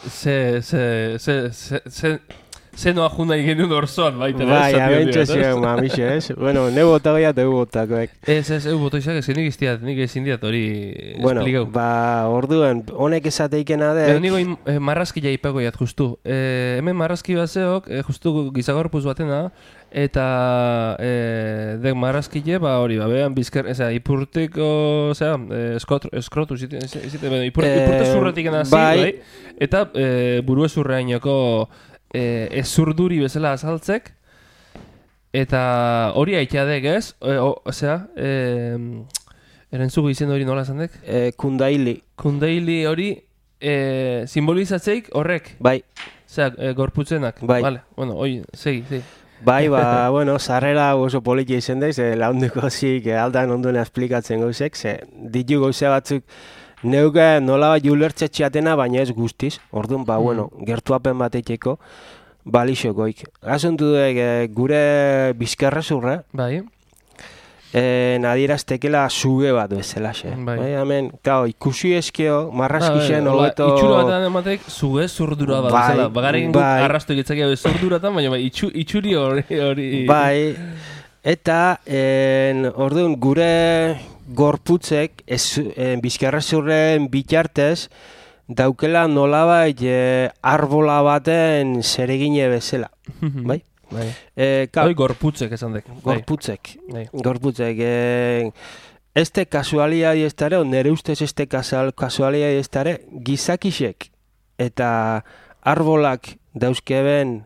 zenoa juna genuen orzoan, baita. Abentxo ziren, mamixe, ez? Neu bota gaiat egu botakoek. Eu bota izak, ez nik ezin diat hori esplikau. Orduen, honek esateikena dek. Nigo marrazkila ipako jat, justu. Hemen marrazki bat zeok, justu gizagorpuz batena, eta dek marrazkile, hori, behan bizker, ipurteko, eskrotu, ipurte zurretik enazi, bai? Eta buru ezurreainoko ezurduri bezala azaltzek, eta hori haiteadek, ez? Erentzugu izen hori nola esan dek? Kundaili. Kundaili hori simbolizatzeik horrek? Bai. Gorputzenak? Bai. Hoi, segi. Sarrera oso politia izen daiz, launduko zik aldan onduna esplikatzen gauzek, ditu gauze batzuk neuke nola bat julertzetxeatena, baina ez guztiz, orduan, gertuapen bateteko, balixokoik. Gazuntu duk gure bizkarrezurra, adieraztekela zuge bat bezala, hemen, ikusi eskeo, marrazkixen hobeto... Itxura bat ematek zuge zurdura bat bezala, bagaren guk arrastu egitzakia zurduratan, baina itxuri hori... Eta, orduan, gure gorputzek bizkarrezurren bitartez daukela nolabait arbola baten zeregine bezala, bai? Bai, gorputzek esan dek. Gorputzek. Bai. Gorputzek. Este kasualidad estare, nere ustez este kasualidad estare, gizakisek eta arbolak dauzkeben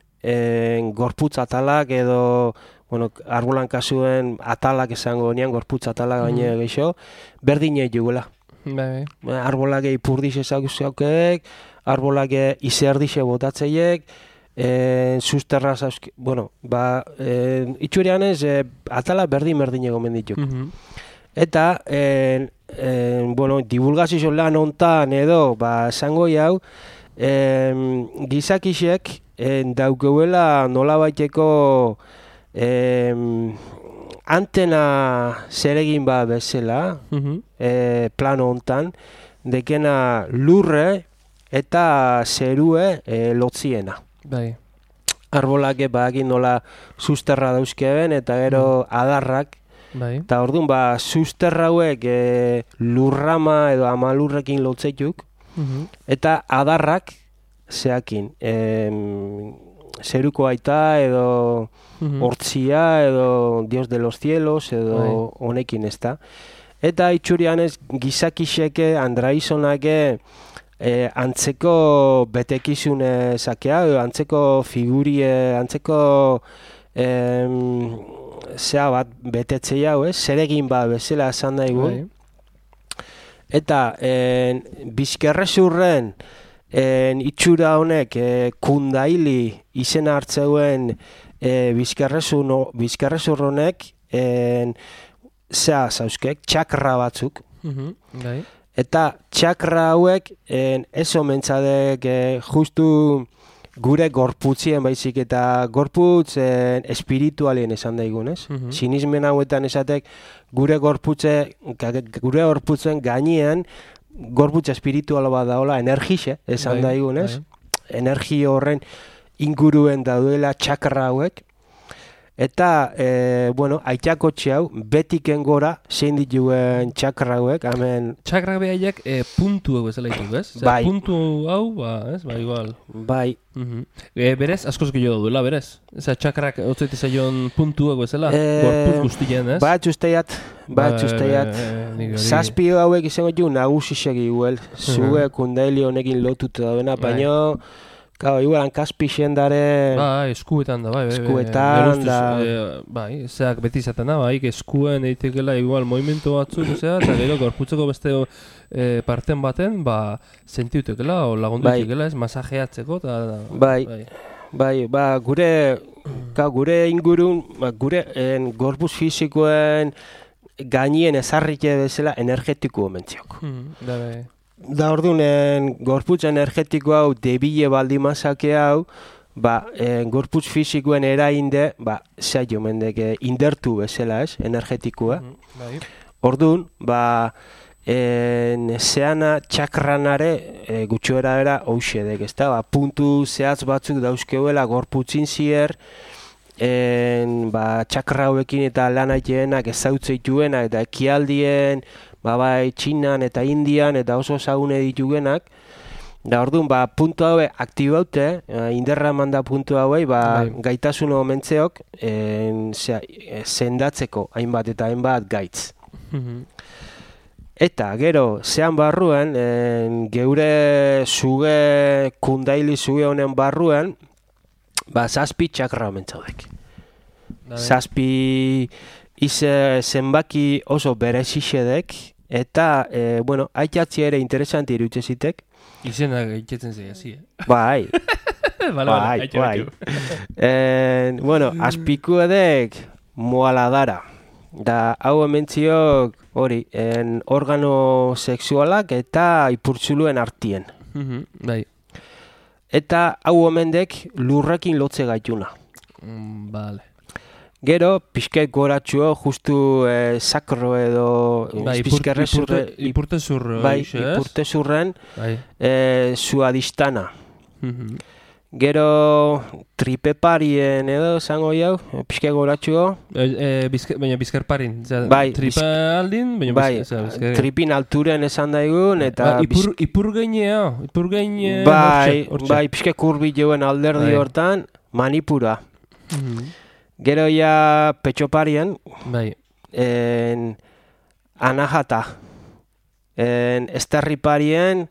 gorputz atalak edo, bueno, arbolan kasuen atalak esango nian, gorputz atalak baina gehiago, berdinei jugula. Bai. Arbolak ipurdiz ezaukek, arbolak izerdixe botatzeiek, susterra zauzke, bueno, itxurian ez, atala berdin egomen dituk. Eta, bueno, divulgazio lan hontan edo, esango hau, gizakisek daukeuela nolabaiteko antena zeregin bezala, plano hontan, dekena lurre eta zerue lotziena. Bai. Arbolak bagin nola susterra dauzkeben eta gero adarrak. Bai. Eta orduan, susterra hauek lurrama edo amalurrekin lotzeituk, eta adarrak zeakin, zeruko aita edo hortzia edo Dios de los cielos edo honekin ezta. Eta itxurian ez gizakiseke, andraizonake antzeko betekizune zakea, antzeko figurie, antzeko zea bat betetze hau, zeregin bezala esan daigu. Eta bizkerrezurren itxura honek kundaili izena hartzeuen bizkerrezur honek zea zauzkek, txakra batzuk. Eta txakra hauek ez omentzadek justu gure gorputzien baizik eta gorputz espiritualien esan daigun, ez? Sinismen hauetan esatek gure gorputzen gainean gorputz espiritual bat daola, energixe esan daigun, ez? Energi horren inguruen daudela txakra hauek. Eta, bueno, aitakotxe hau, betiken gora, zein dituen txakra hauek, hemen... Txakra behaiek puntu hau bezala ditu, ez? Bai. Puntu hau, ez, igual. Bai. Berez, askoz gehiago duela, berez? Eza, txakrak otzaite zaion puntu hau bezala, gorpuz guztien, ez? Bat usteiat. Zazpi hauek izango du nagusisek iguel. Zue kundaili honekin lotuta dauena, baina... Claro, igual hankazpixen dare... eskuetan da, bai. Eskuetan da... Bai, zeak beti izaten da, bai, eskuen eitekela igual movimento batzuk, eta gero gorputzeko beste parten baten, sentiutekela, o lagundutekela, ez, masajeatzeko, eta... Bai, gure ingurun, gure gorputz fizikoen gainien ezarrike bezala energetiko mentziok. Da orduan, gorputz energetiko hau debile baldimazake hau, gorputz fizikoen erainde, zailo mendek indertu bezala, ez, energetikoa. Orduan, zeana txakranare gutxoera era hauxedek, ez da, puntu zehatz batzuk dauzkeuela gorputzin zier, txakra hauekin eta lan aiteenak ezautzeituenak eta ekialdien, Txinan eta Indian eta oso ezagune ditugenak. Da orduan, puntu haue aktibaute, inderra manda puntu hauei, gaitasun omentzeok sendatzeko hainbat eta hainbat gaitz. Eta gero, zean barruen, geure zuge, kundaili zuge honen barruen, zazpi txakra omentzaudek. Zazpi... zenbaki oso berezixedek, eta, bueno, aitatzi ere interesanti irutzezitek. Izenak aitatzen zei hasi, Bai. Bai. Bueno, azpiku edek moaladara. Da, hau ementziok hori, organo sexualak eta ipurtzuluen artien. Bai. Eta hau omendek lurrekin lotze gaituna. Vale. Gero, pixket goratxuo, justu sakro edo ipurtezur. Ipurtezurren zuadistana. Gero tripeparien edo zango jau, pixke goratxuo. Baina bizkerparin. Bai, Tripa aldin, baina bai, tripin alturen esan daigun, eta... Ipurgain... Bai, pixke kurbi joen alderdi hortan, manipura. Gero ja petxoparien, bai. Anahata. Esterriparien,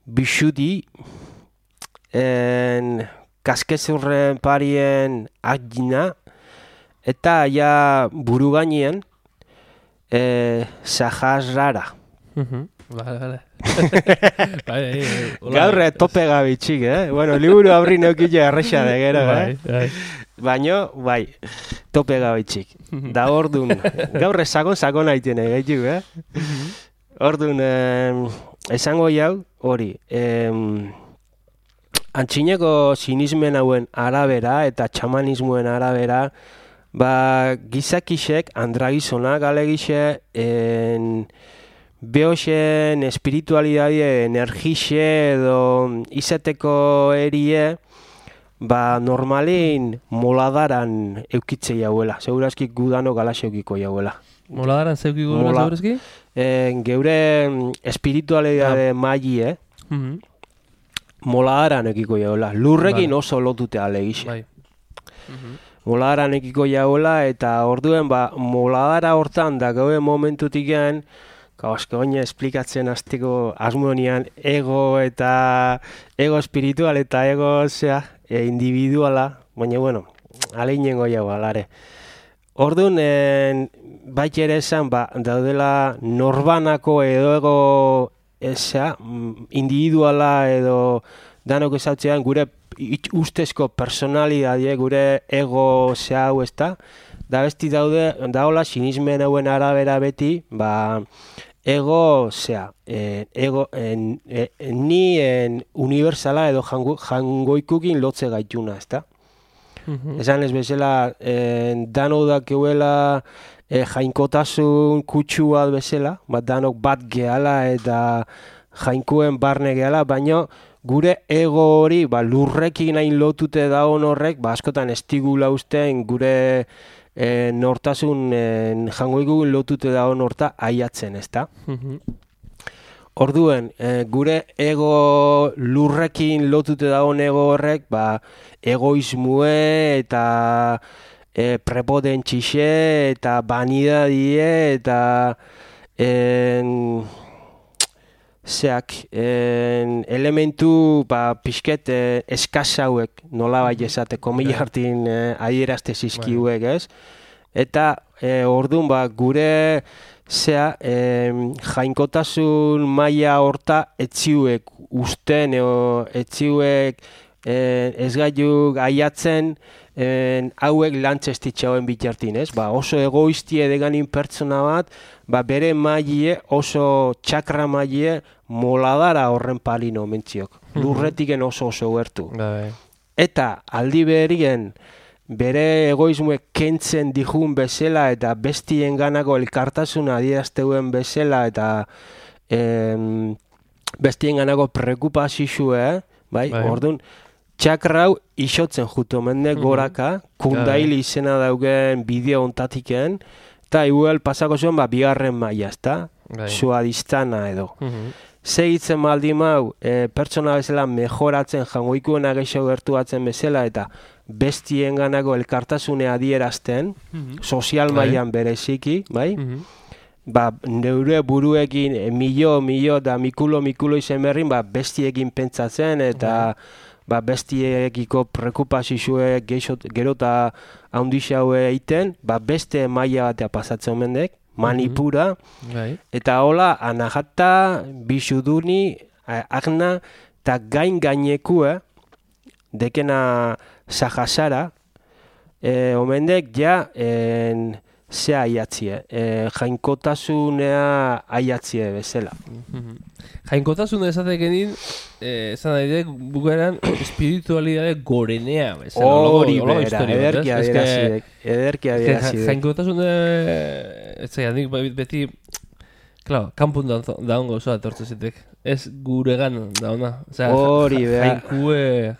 bixudi, kaskezurren parien agina, eta ja buru gainien Sahasrara. Vale. Gaur tope gabitxik, Bueno, liburu aurri neukile arrexa de gero, Baina, bai, tope gabitxik. Da ordun, gaur sakon haiten egaitik, Ordun, esango jau, hori, antxineko sinismen hauen arabera eta txamanismoen arabera, gizakixek, andragizonak alegixe, behoxen espiritualidade energixe edo izateko erie, normalin moladaran eukitze jauela. Segurazki gudano galaxe eukiko jauela. Moladaran zeukiko gula segurazki? Geure espiritualidade maili, moladaran ekiko jauela. Lurrekin oso lotute alegixe. Bai. Moladaran ekiko jauela eta orduen moladara hortan da gaue momentutik gen, asko gaina esplikatzen hasteko asmonian ego espiritual eta ego individuala, baina bueno, aleinengo jau alare. Orduan, baita ere esan, daudela norbanako edo ego individuala edo danok ezautzean gure ustezko personalidadie, gure ego hau ezta, da besti daola sinismen hauen arabera beti, ego ni universala edo jangoikukin lotze gaituna, ezta? Esan ez bezala, dano dakeuela jainkotasun kutsu bat bezala, danok bat gehala eta jainkuen barne gehala, baina gure ego hori lurrekin hain lotute daun horrek, askotan estigula ustean gure nortasun jangoikukin lotute daun horta aiatzen, ezta? Orduen, gure ego lurrekin lotute daun ego horrek, egoismue eta prepotentxixe eta vanidadie eta elementu pixket eskasauek nola bai esateko milartin adierazte zizkiuek, ez? Eta orduan gure jainkotasun maila horta etziuek usten etziuek ez gaiuk aiatzen hauek lantzestitxauen bitartin, ez? Oso egoistie deganin pertsona bat, bere mailie oso txakra mailie moladara horren palino mentziok. Lurretiken oso gertu. Eta aldi berien bere egoismuek kentzen dijun bezala eta bestien ganako elkartasuna adierazteuen bezala eta bestien ganako prekupazizue, orduan, txakrau isotzen jutu mende goraka, kundaili izena daugen bideo ontatiken, eta igual pasako zuen bigarren maila, ezta? Suadistana edo. Segitzen maldi mau, pertsona bezala mejoratzen jangoikuena geixo gertuatzen bezala eta bestien ganako elkartasune adierazten, sozial mailan bereziki, bai? Neure buruekin milo eta mikulo izen berrin bestiekin pentsatzen eta bestiekiko prekupazizue gero eta haundixaue eiten, beste maila batea pasatzen mendek, manipura, eta hola anahata, bisuduni, agna, eta gainekue, dekena Sahasara, omendek ja zea aiatzie, jainkotasunea aiatzie bezala. Jainkotasuna esatekenin, esan daidek, bukaeran espiritualidade gorenea bezala. Hori bera, ederki adierazidek. Jainkotasuna, ez zaian, beti, kanpun daungo osoa etortze zitek. ez guregan da ona. Osea, Hori, bea.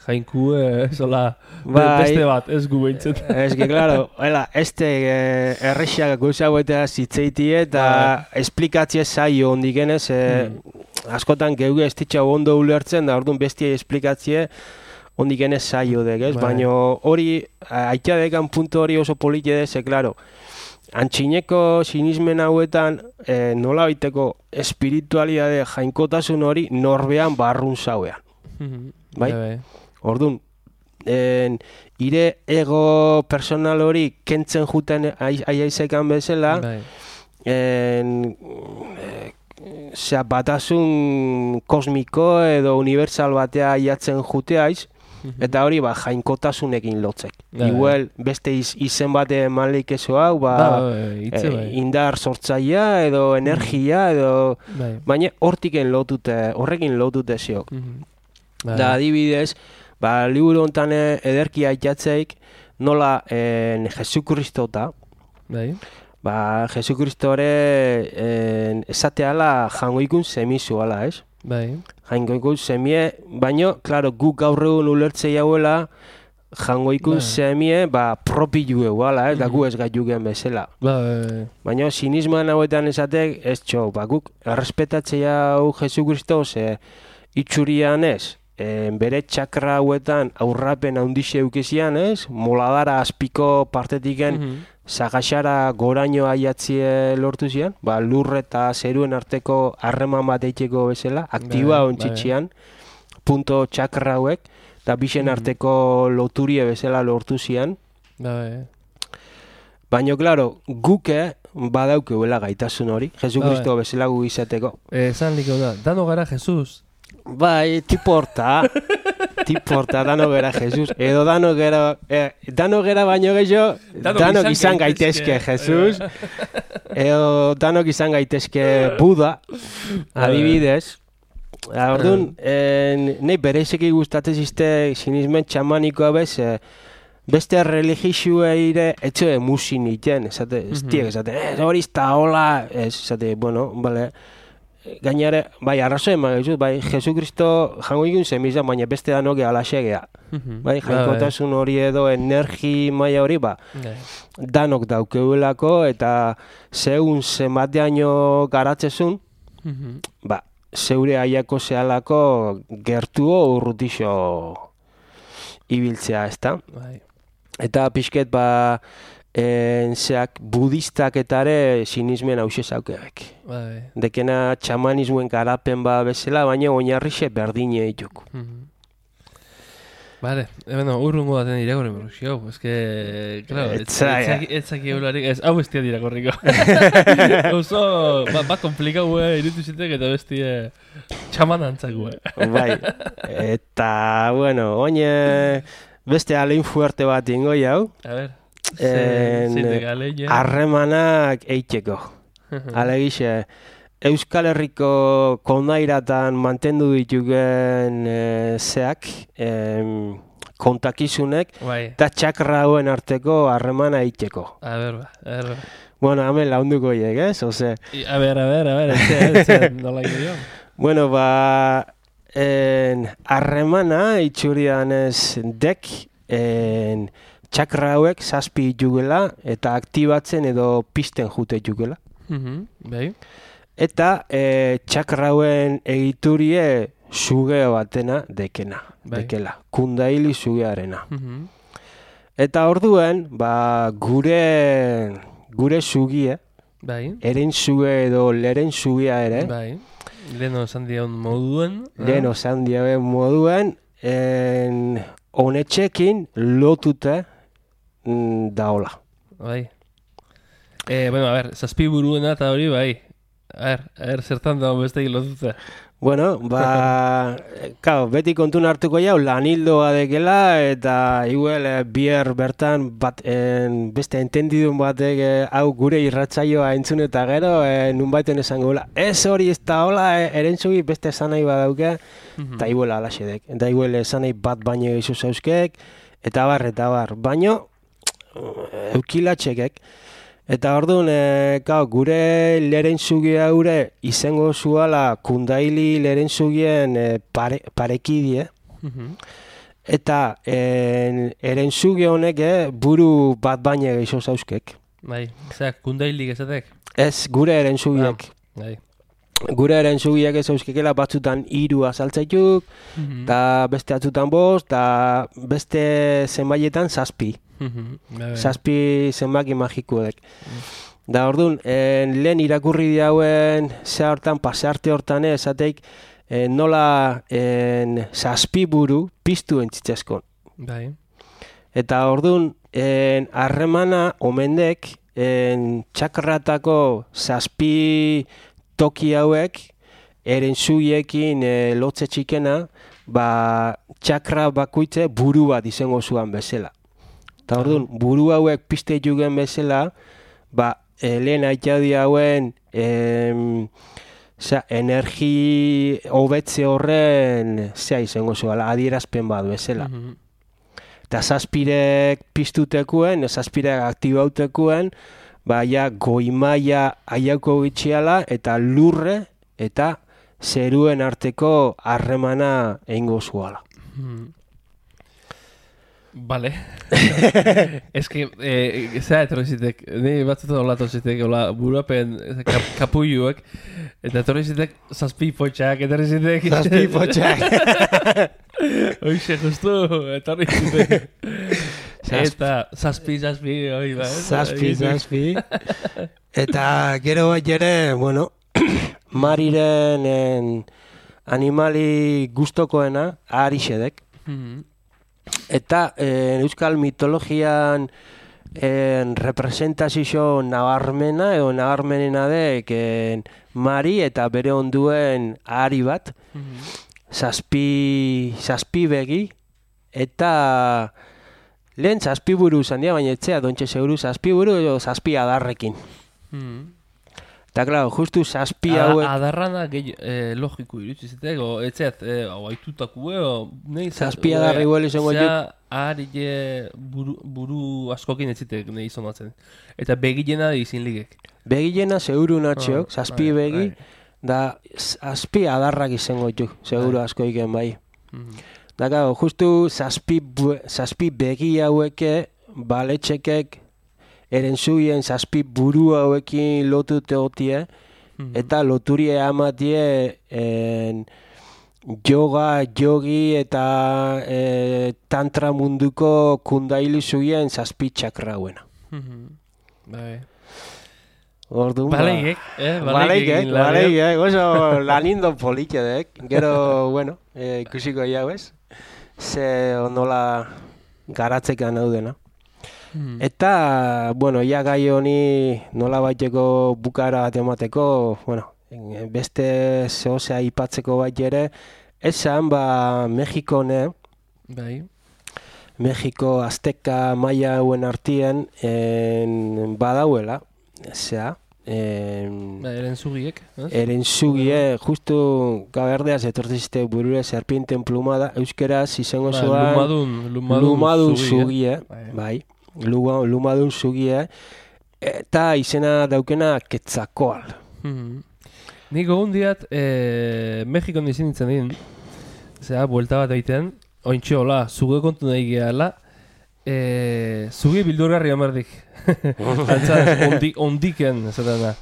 jainkue, sola, Bai. beste bat, ez gu behintzat. Ez que, claro, errexak gauza hauetea zitzeitie eta esplikatzie zaio ondikenez, askotan geuge ez ditxau ondo ulertzen, da orduan bestia esplikatzie ondikenez zaio dek, ez? Bai. Baina hori, aitzadekan puntu hori oso politie dez, claro, antxineko sinismen hauetan nola baiteko espiritualidade jainkotasun hori norbean barrun zauean. Bai? Orduan, ire ego personal hori kentzen juten aiaizekan bezala, batasun kosmiko edo universal batea aiatzen juteaiz, eta hori jainkotasunekin lotzek. Igual beste izen bate malik eso hau, indar sortzaia edo energia edo, baina horrekin lotute ziok. Da adibidez, liburu honetan ederki aitatzeik nola Jesukristo Jesukristore esateala jangoikun semizuala, ez? Jangoikun semie, baina, klaro, guk gaur egun ulertzei hauela jangoikun semie propilu eguala, ez? Da gu ez gaiugen bezala. Baina sinismoan hauetan esatek, ez txo, guk errespetatzei hau Jesukristo itxurian ez, bere txakra hauetan aurrapen handixe eukizian, ez? Moladara azpiko partetiken zagaxara goraino aiatzie lortu zian, lur eta zeruen arteko harreman bat eiteko bezala, aktiba ontsitxian, punto txakra hauek, eta bixen arteko loturie bezala lortu zian. Baina, klaro, guke badaukeuela gaitasun hori, Jesukristo bezala gu izateko. Esan liko da, dano gara Jesus. Bai, tipo horta, dano gara Jesus, edo dano gara baino gehiago, danok izan gaitezke Jesus, edo danok izan gaitezke Buda, adibidez. Orduan, nahi berezeki gustatzen ziste sinismen txamanikoa bez, beste religioeire etxe musin iten, hori izta hola, esate, bueno, bale, gainare, arrazo eman gaizu, Jesukristo jango ikun zemizan, baina beste danoke alaxegea. Jainkotasun hori edo energi maila hori, danok daukeuelako, eta zeun zenbateaino garatzezun, zeure aiako zehalako gertuo urrutixo ibiltzea, ezta? Eta pixket, zeak budistak etare sinismen hause zaukebek. Dekena txamanismoen garapen bezala, baina oinarrixe berdine dituk. Vale, urrungo baten irakorri borruzio, eske, claro, etzaki eularik, hau bestia irakorriko. Oso, komplikau irutu zitek eta bestie txaman antzak. Bai, eta, bueno, oine beste alein fuerte bat ingo jau. A ver. Harremanak eiteko. Alegixe, Euskal Herriko kondairatan mantendu ditugen zeak, kontakizunek, eta txakra hauen arteko harremana eiteko. A ver. Bueno, hemen launduko hiek, ez? A ver, etxe, nola gero. Bueno, harremana itxurian ez dek, txakra hauek zazpi jugela eta aktibatzen edo pisten jute jugela. Eta txakra hauen egiturie suge batena dekela, kundaili sugearena. Eta orduen, gure sugie, eren suge edo leren sugea ere, Leno zandiaun moduen, honetxekin lotute daola. Bueno, a ver, zazpi buruena eta hori, A ver, zertan dago beste lotute. Bueno, beti kontun hartuko jau, lanildoa dekela, eta igual bier bertan beste entendidun batek hau gure irratzaioa entzun eta gero, nunbaiten esango gola. Ez hori ez da hola, erentzugi beste esanai badauke, eta igual alaxedek. Eta igual esanai bat baino gizu zauzkek, eta bar. Baino, eukilatxekek, Eta orduan, gure lerentzugi haure izango zuala kundaili lerentzugien parekidie. Eta erentzugi honek buru bat baina gehiago zauzkek. Bai, kundailik ezatek? Ez, gure erentzugiek. Bai. Gure erentzugiek ez zauzkekela batzutan 3 azaltzaituk, eta beste atzutan 5, eta beste zenbaietan 7. 7 zenbaki magikuek. Da orduan, lehen irakurri diauen pasearte hortan esateik nola 7 buru piztu entzitzezkon. Bai. Eta orduan, harremana omendek txakratako 7 toki hauek erentzuiekin lotze txikena, txakra bakoitze buru bat izango zuan bezala. Eta orduan, buru hauek piste jugen bezala, lehen aitadi hauen energi hobetze horren izango zuala, adierazpen bat bezala. Eta 7 piztutekuen, 7 aktibautekuen, goimaia aiauko gitxiala eta lurre eta zeruen arteko harremana egingo zuala. Vale. Ez que, zera etorrizitek, ni batzutan olatu zitek, burapen kapulluek, eta etorrizitek 7 potxak, etorrizitek. 7 potxak. Hoxe, justu, etorrizitek. Eta 7, hori ba. 7. Eta gero ere, bueno, Mariren animali gustokoena, arixedek. Eta euskal mitologian representazio nabarmena edo nabarmenena dek Mari eta bere onduen ahari bat, 7 begi, eta lehen 7 buru zandia, baina etzea dontxe seguru 7 buru edo 7 adarrekin. Eta, klaro, justu 7 hauek... Adarrana logiko irutsizetek, o etzeat, haitutakue, o... 7 adarri guel izango juk. Ahari buru askokin etzitek nahi izonatzen. Eta begilena izin ligek. Begilena seguru natxeok, 7 begi, da 7 adarrak izango juk, seguru asko iken bai. Da, klaro, justu 7 begi haueke, baletxekek, erentzuien 7 buru hauekin lotute hotie, eta loturie amatie yoga, yogi eta tantra munduko kundaili zuien 7 txakra hauena. Orduan, Baleigek, oso lanindo politxedek, gero, bueno, ikusiko jauez, ze onola garatzekan daudena. Eta, bueno, gai honi nola baiteko bukara bat emateko, bueno, beste zehozea ipatzeko bat ere, esan, Mexikone, Mexiko azteka maia hauen artien badauela, zea, erentzugiek, erentzugie, justu gaberdeaz etortzizte burure serpienten plumada, euskeraz izango zuan lumadun zugie, bai. Lumadun zugie, eta izena daukena Quetzalcoatl. Nik gogun diat, Mexikon izin nintzen din, zera, buelta bat egiten, ointxe hola, zuge kontu nahi gehala, zuge bildurgarri amardik. Antzaz, ondiken, zaten da.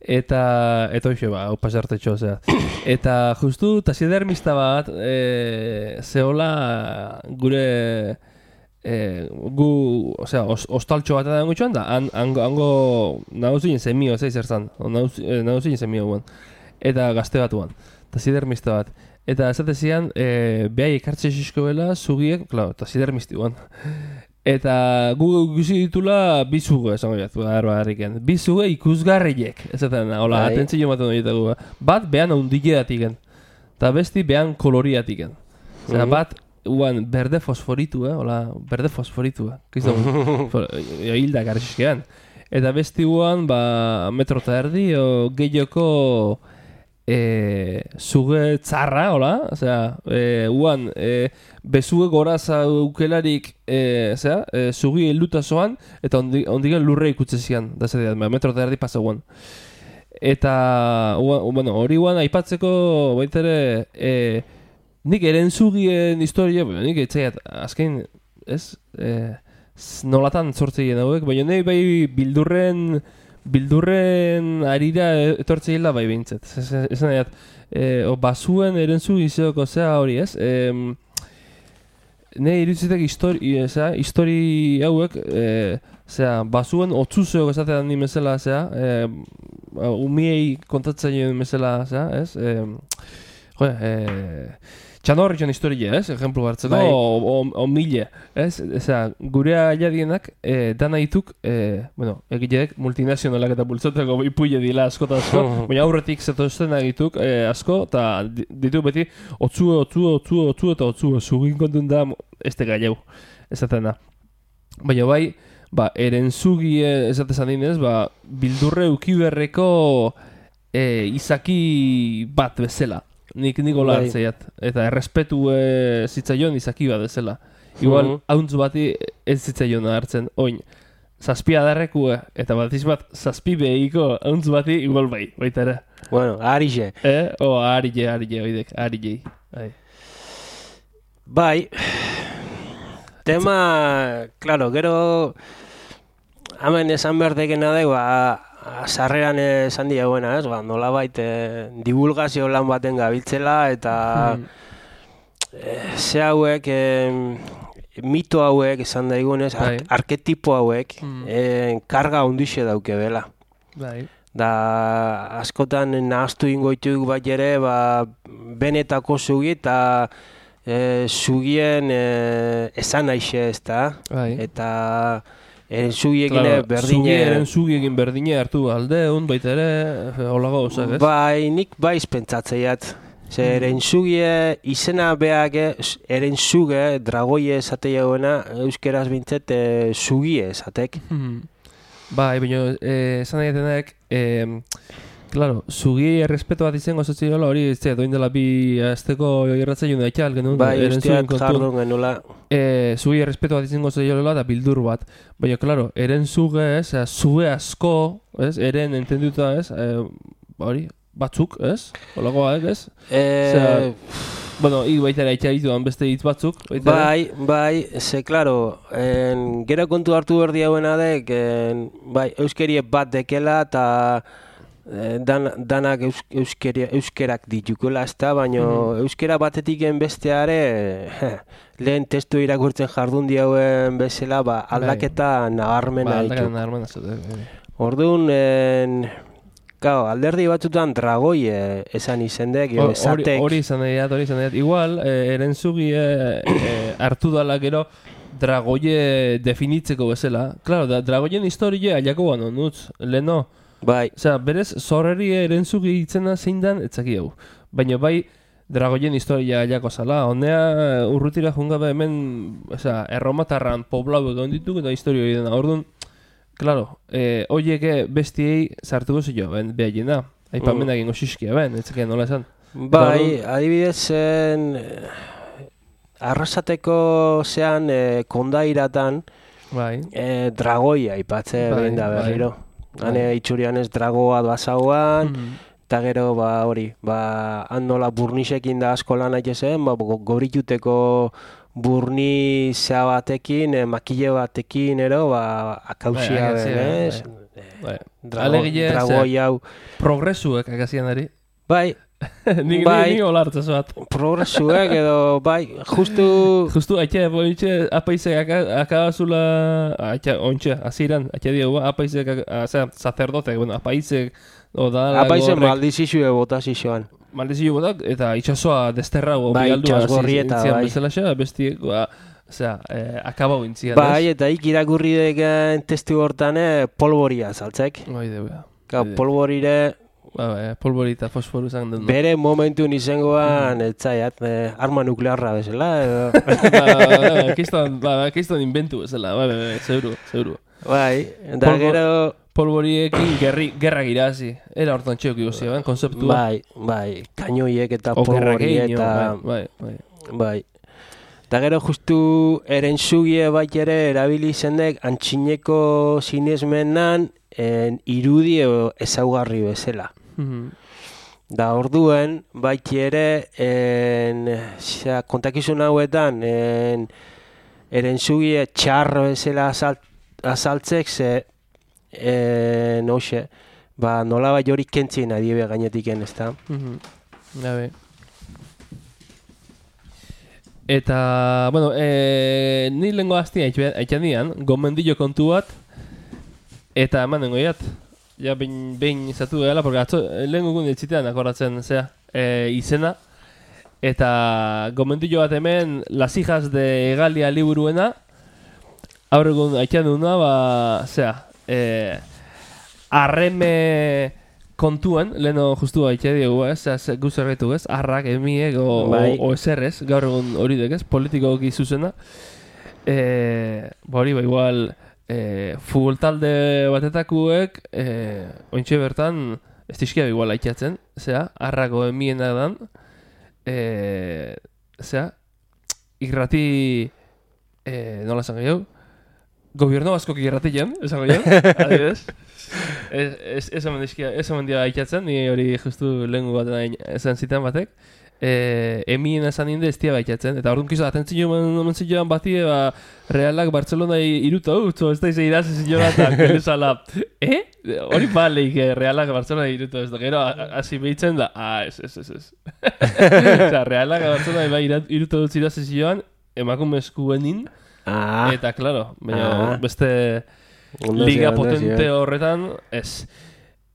Eta hoxe, pasartetxo, zera. Eta justu, taxidermista bat, zehola gure... ostaltxo bat edan gutxuan da, hango nahuzien zemio, zertzan, nahuzien zemio guan, eta gazte batuan, eta zidermista bat. Eta esatezian, behai ekartxe xisko bela, zugiek, klar, eta zidermisti guan. Eta gu guzi ditula bizuge, esango jatu, harriken. Bizuge ikusgarriek, ezaten, hola, atentzio maten horietago. Bat behan ondileatiken, eta besti behan koloriatiken. Zera, bat, uan berde fosforitu, hola, berde fosforitu, kizto, hildak arxiskean. Eta besti uan, 1,5 metro, gehioko zuge tzarra, hola, osea, uan, bezuge goraza ukelarik, zugi helduta zoan, eta ondigen lurre ikutze zian, da zedean, metro eta erdi pasa guan. Eta, bueno, hori guan aipatzeko baitere, nik erentzugien historia, nik etxaiat, azken, ez, nolatan sortzeien hauek, baina nahi bai bildurren arira etortzeila bai behintzat. Esan nahiat, basuen erentzu izeoko zea hori, ez? Nahi irutzitek histori hauek, basuen otzuzeok esatean ni mesela, umiei kontatzaien mesela, ez? Txanorritxan historia, ez? Ejemplu hartzeko, o mile, ez? Gure ailadienak, dana dituk, egileek multinazionalak eta bultzoteko ipuile dila asko, baina aurretik zetozten egituk asko, eta ditu beti, otzu, zugin kontun da, ez te gaieu, ezatena. Baina bai, erentzugi ezatezan dinez, bildurre ukiberreko izaki bat bezala. Nik hola hartzeiat, eta errespetu zitzaion izaki bat ezela. Igual, hauntz bati ez zitzaion hartzen, oin, zazpia darrekue, eta batiz bat, zazpi behiko hauntz bati, igual baita ere. Bueno, arixe. Oidek, arijei. Bai, tema, claro, gero, hemen esan behar dekena da, sarreran esan diagoena, ez? Nolabait divulgazio lan baten gabiltzela eta ze hauek, mito hauek esan daigunez, arketipo hauek karga hundixe dauke bela. Da askotan nahaztu ingoituk bat ere benetako zugi eta zugien esan aixe ez da. Eta Erenzugiekin berdine hartu aldeun, baita ere, holago gauzak, ez? Bai, nik baiz pentsatzeat. Erentzugie izena beak, erentzuge, dragoie esate jauena, euskeraz bintzet, zugie esatek. Bai, baina, esan nahi claro, zugi errespeto bat izango zotziola hori, doin dela bi azteko irratzaio da itxal genuen. Bai, usteak jardun genula. Zugi errespeto bat izango zotziola da bildur bat. Baina, claro, eren zuge, zuge asko, eren entenduta, hori, batzuk, holakoak, bueno, baita ere itxaituan beste hitz batzuk. Bai, claro, gero kontu hartu berdi hauena dek, euskerie bat dekela eta danak euskerak ditukola ez da, baina euskera batetik besteare lehen testu irakurtzen jardun diauen bezala aldaketa nabarmena ditu. Orduan, alderdi batzutan dragoi esan izendek, esatek. Hori izan dut. Igual, erentzugi hartu dala gero dragoie definitzeko bezala. Claro, dragoien historia aiako gano, nutz, leheno. Bai. Berez, zorreri erentzugi itzena zein dan, etzaki hau. Baina bai, dragoien historia aiako zala. Honea urrutira jungabe hemen, erromatarran poblau egon dituk eta historia hori dena. Orduan, claro, horieke bestiei sartuko zio, behaiena. Aipamenak ingo xiskia, etzakien nola esan. Bai, adibidez arrasateko zean kondairatan dragoia aipatze behin da berriro. Hane itxurian ez dragoa basauan, eta gero hori, handola burnisekin da asko lan aitezen, gorituteko burni zea batekin, makile batekin, akausia benez. Dragoi hau. Progresuek agazian ari. Bai. Ni olartza zoat. Progresuek edo, justu aitxe apaizek akabazula, ontxe, aziran, aitxe diegu, apaizek, sacerdotek, apaizek, apaizek maldizizue botazizioan. Maldizio botak, eta itxasoa desterrago bialdua zintzian bezala bestiek, akabau intzian. Bai, eta irakurri deken testu hortan polboria saltzek. Bai, deuga. Polborire polbori eta fosforu zan den. Bere momentu nizengoan, etzaiat, arma nuklearra bezala, Kiston inventu bezala, zeuru. Bai, eta gero... polboriekin gerra irazi. Era hortan txeok ikusi, konzeptua. Bai, kainoiek eta polboriek eta... Bai. Eta gero justu erentzugie bat ere erabili zendek antxineko sinesmenan irudi ezaugarri bezala. Da orduen baiti ere kontakizun hauetan erentzugie txarro bezala azaltzek ze nola bai hori kentzien adiebe gainetiken, ez da? Gabe. Eta, bueno, ni lehenko hastia haitxan dian, gomendillo kontu bat, eta eman dengo iat. Ja, behin izatu dela, porque atzo, lehenko gun ditzitean akordatzen, izena. Eta gomendillo bat hemen, Las hijas de Egalia liburuena, aurregun haitxan duna, arreme kontuen, leheno justu haitxe diegu, guz erretu, arrak, emiek, o eserrez, gaur egun hori dek, politikoki zuzena. Hori, igual, futbol talde batetakuek, ointxe bertan, ez dizkia igual haitxatzen, arrako emiena dan, irrati, nola esan gehiago, gobierno baskok irratien, esan gehiago, adibidez. Ez omen dira haitxatzen, ni hori justu lehengu baten esan zitan batek. Emien esan inde ez dira haitxatzen, eta orduan kizo atentzio mentzioan bati, Realak Barcelona iruta utzo, ez da izan irazen zioa eta geluzala, hori baleik Realak Barcelona iruta ez da, gero hasi behitzen da, ez. Realak Barcelona iruta utzi irazen zioan, emakumezkuenin, eta, klaro, beste... Liga potente horretan, ez.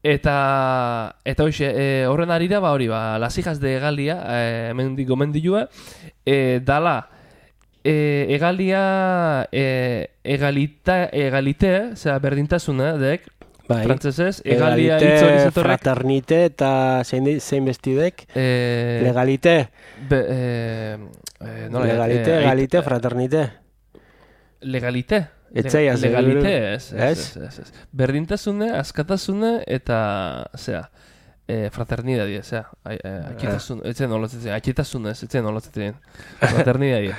Eta hoxe, horren arira, hori, Las hijas de Egalia, hemen gomendilua, dala, Egalia, egalite, berdintasuna, dek, frantzesez, Egalia hitz hori zetorrek. Fraternite eta zein bestidek, legalite. Legalite, fraternite. Legalite. Legalite, ez. Berdintasune, askatasune eta, fraternidadie, atxitasune, fraternidadie.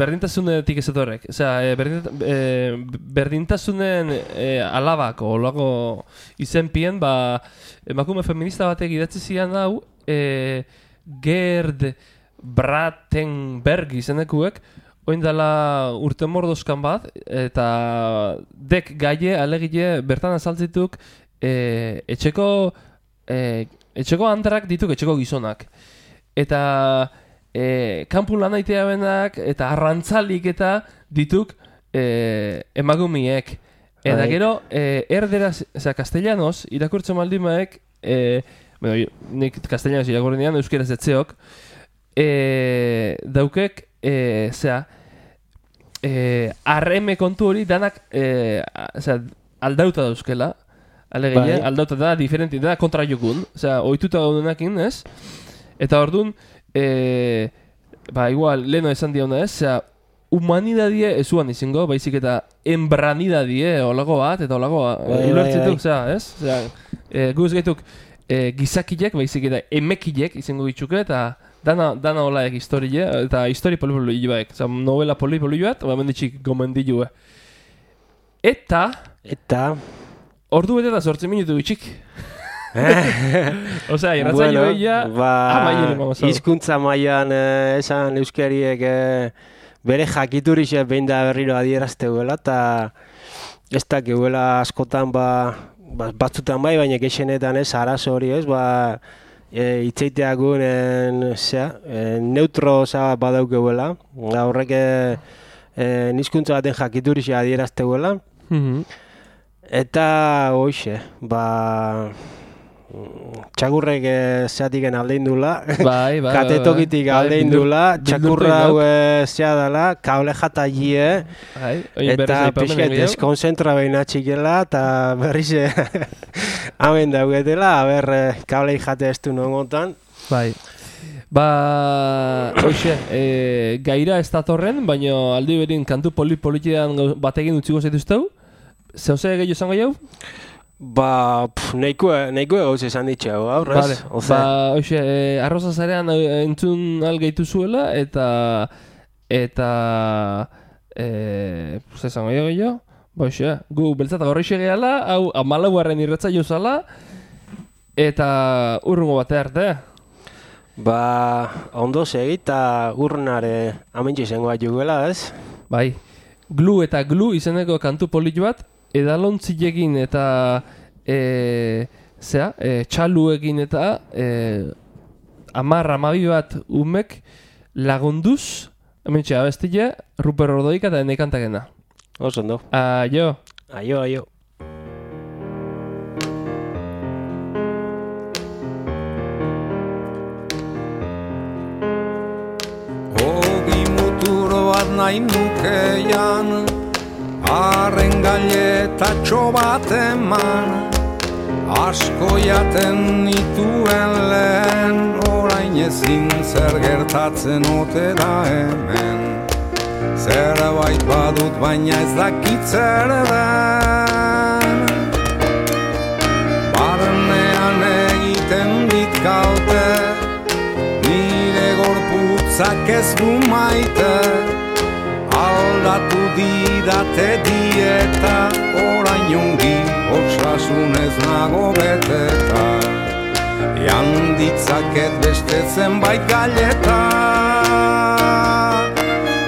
Berdintasunetik ez etorrek. Berdintasunen alabako, olago izenpien, emakume feminista batek idatzi zian hau, Gerd Bratenberg izenekuek, oin dela urte mordoskan bat, eta dek gaie, alegile, bertan azaltzituk, etxeko andrak dituk etxeko gizonak. Eta kanpun lan aitea benak, eta arrantzalik eta dituk emagumiek. Eta gero, erderaz, castellanos, irakurtzen maldimaek, nik castellanos irakurren dian, euskeraz etzeok, daukek, arreme kontu hori danak aldauta dauzkela, alegile, aldauta da, diferenti, da kontra jokun, ohituta gaudenakin, ez? Eta orduan, igual, leheno esan diona, ez? Humanidadie ezuan izango, baizik eta embranidadie olago bat, eta olago ulertzituk, ez? Guz gaituk gizakilek, baizik eta emekilek izango ditzuke, eta dana holaek historie, eta histori polipolio baek. Novela polipolio bat, menditxik gomendilue. Eta... Ordu bete da 8 minutu bitxik. Irratzaio behia... Hizkuntza mailan esan euskariek bere jakiturixe behin da berriro adierazteuela, eta ez dakeuela askotan batzutan baina gexenetan ez arazo hori ez, itzeiteakun neutro badaukeuela, horrek nizkuntza baten jakiturixe adierazteuela, eta hoxe, txakurrek zeatiken aldeindula, katetokitik aldeindula, txakurra hau zea dela, kable jatailie, eta pixket deskonzentra behin atxikela, eta berriz hamen daugetela, kablei jate ez du nongotan. Hoxe, gaira ez datorren, baina aldi berin kantu politian batekin utziko zaituzteu, Zehose gehiago izango jau? Nahikoa gauz esan ditxeago, aurrez? Vale. Hoxe, arroza zarean entzun algeitu zuela, eta zezango gehiago? Hoxe, gu beltzata gorrixe gehala, hau 14. irratza jozala, eta urrungo bate arte. Ondo segi eta urrunare amentxe izango bat juguela, ez? Bai, Glu eta Glu izeneko kantu polit bat, edalontzilekin eta txaluekin eta 10-12 bat umek lagunduz, hementxe abestile, Ruper Ordoika eta nekantakena. Oso ondo. Aio. Aio. Ogi muturo bat nahi nukeian, arren gailetatxo bat eman, asko jaten nituen lehen, orain ezin zer gertatzen ote da hemen. Zerbait badut baina ez dakit zer den, barnean egiten dit kalte, nire gorputzak ez du maite, aldatu didate dieta, orain ongi osasunez nago beteta, jan ditzaket beste zenbait galeta.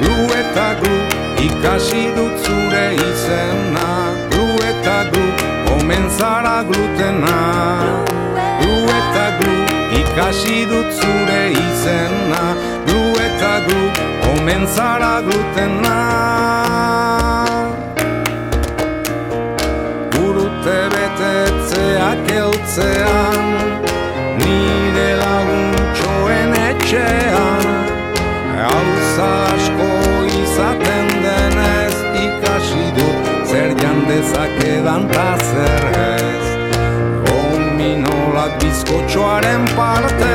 Glu eta Glu ikasi dut zure izena, Glu eta Glu omen zara glutena. Glu eta Glu ikasi dut zure izena, Glu eta Glu omen zara glutena. Urte betetzeak eltzean, nire laguntxoen etxean, gauza asko izaten denez, ikasi dut zer jandezakedan ta zer ez. Gominolak bizkotxoaren partez,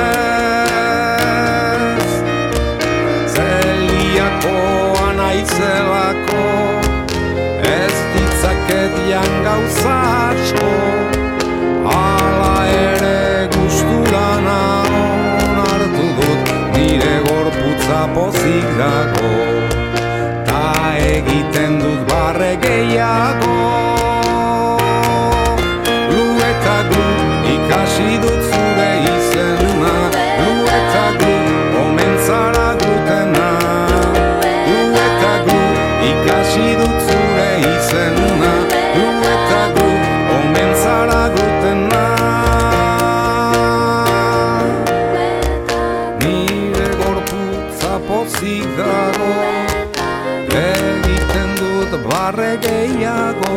zeliakoa naizelako, ez ditzaket jan gauza asko, hala ere gustura nagon hartu dut, nire gorputza pozik dago, ta egiten dut barre gehiago. Glu eta Glu ikasi dut zure izena, Glu eta Glu omen zara glutena. Glu eta Glu ikasi dut zure izena, Glu eta Glu omen zara glutena. Pozik dago, egiten dut barre gehiago.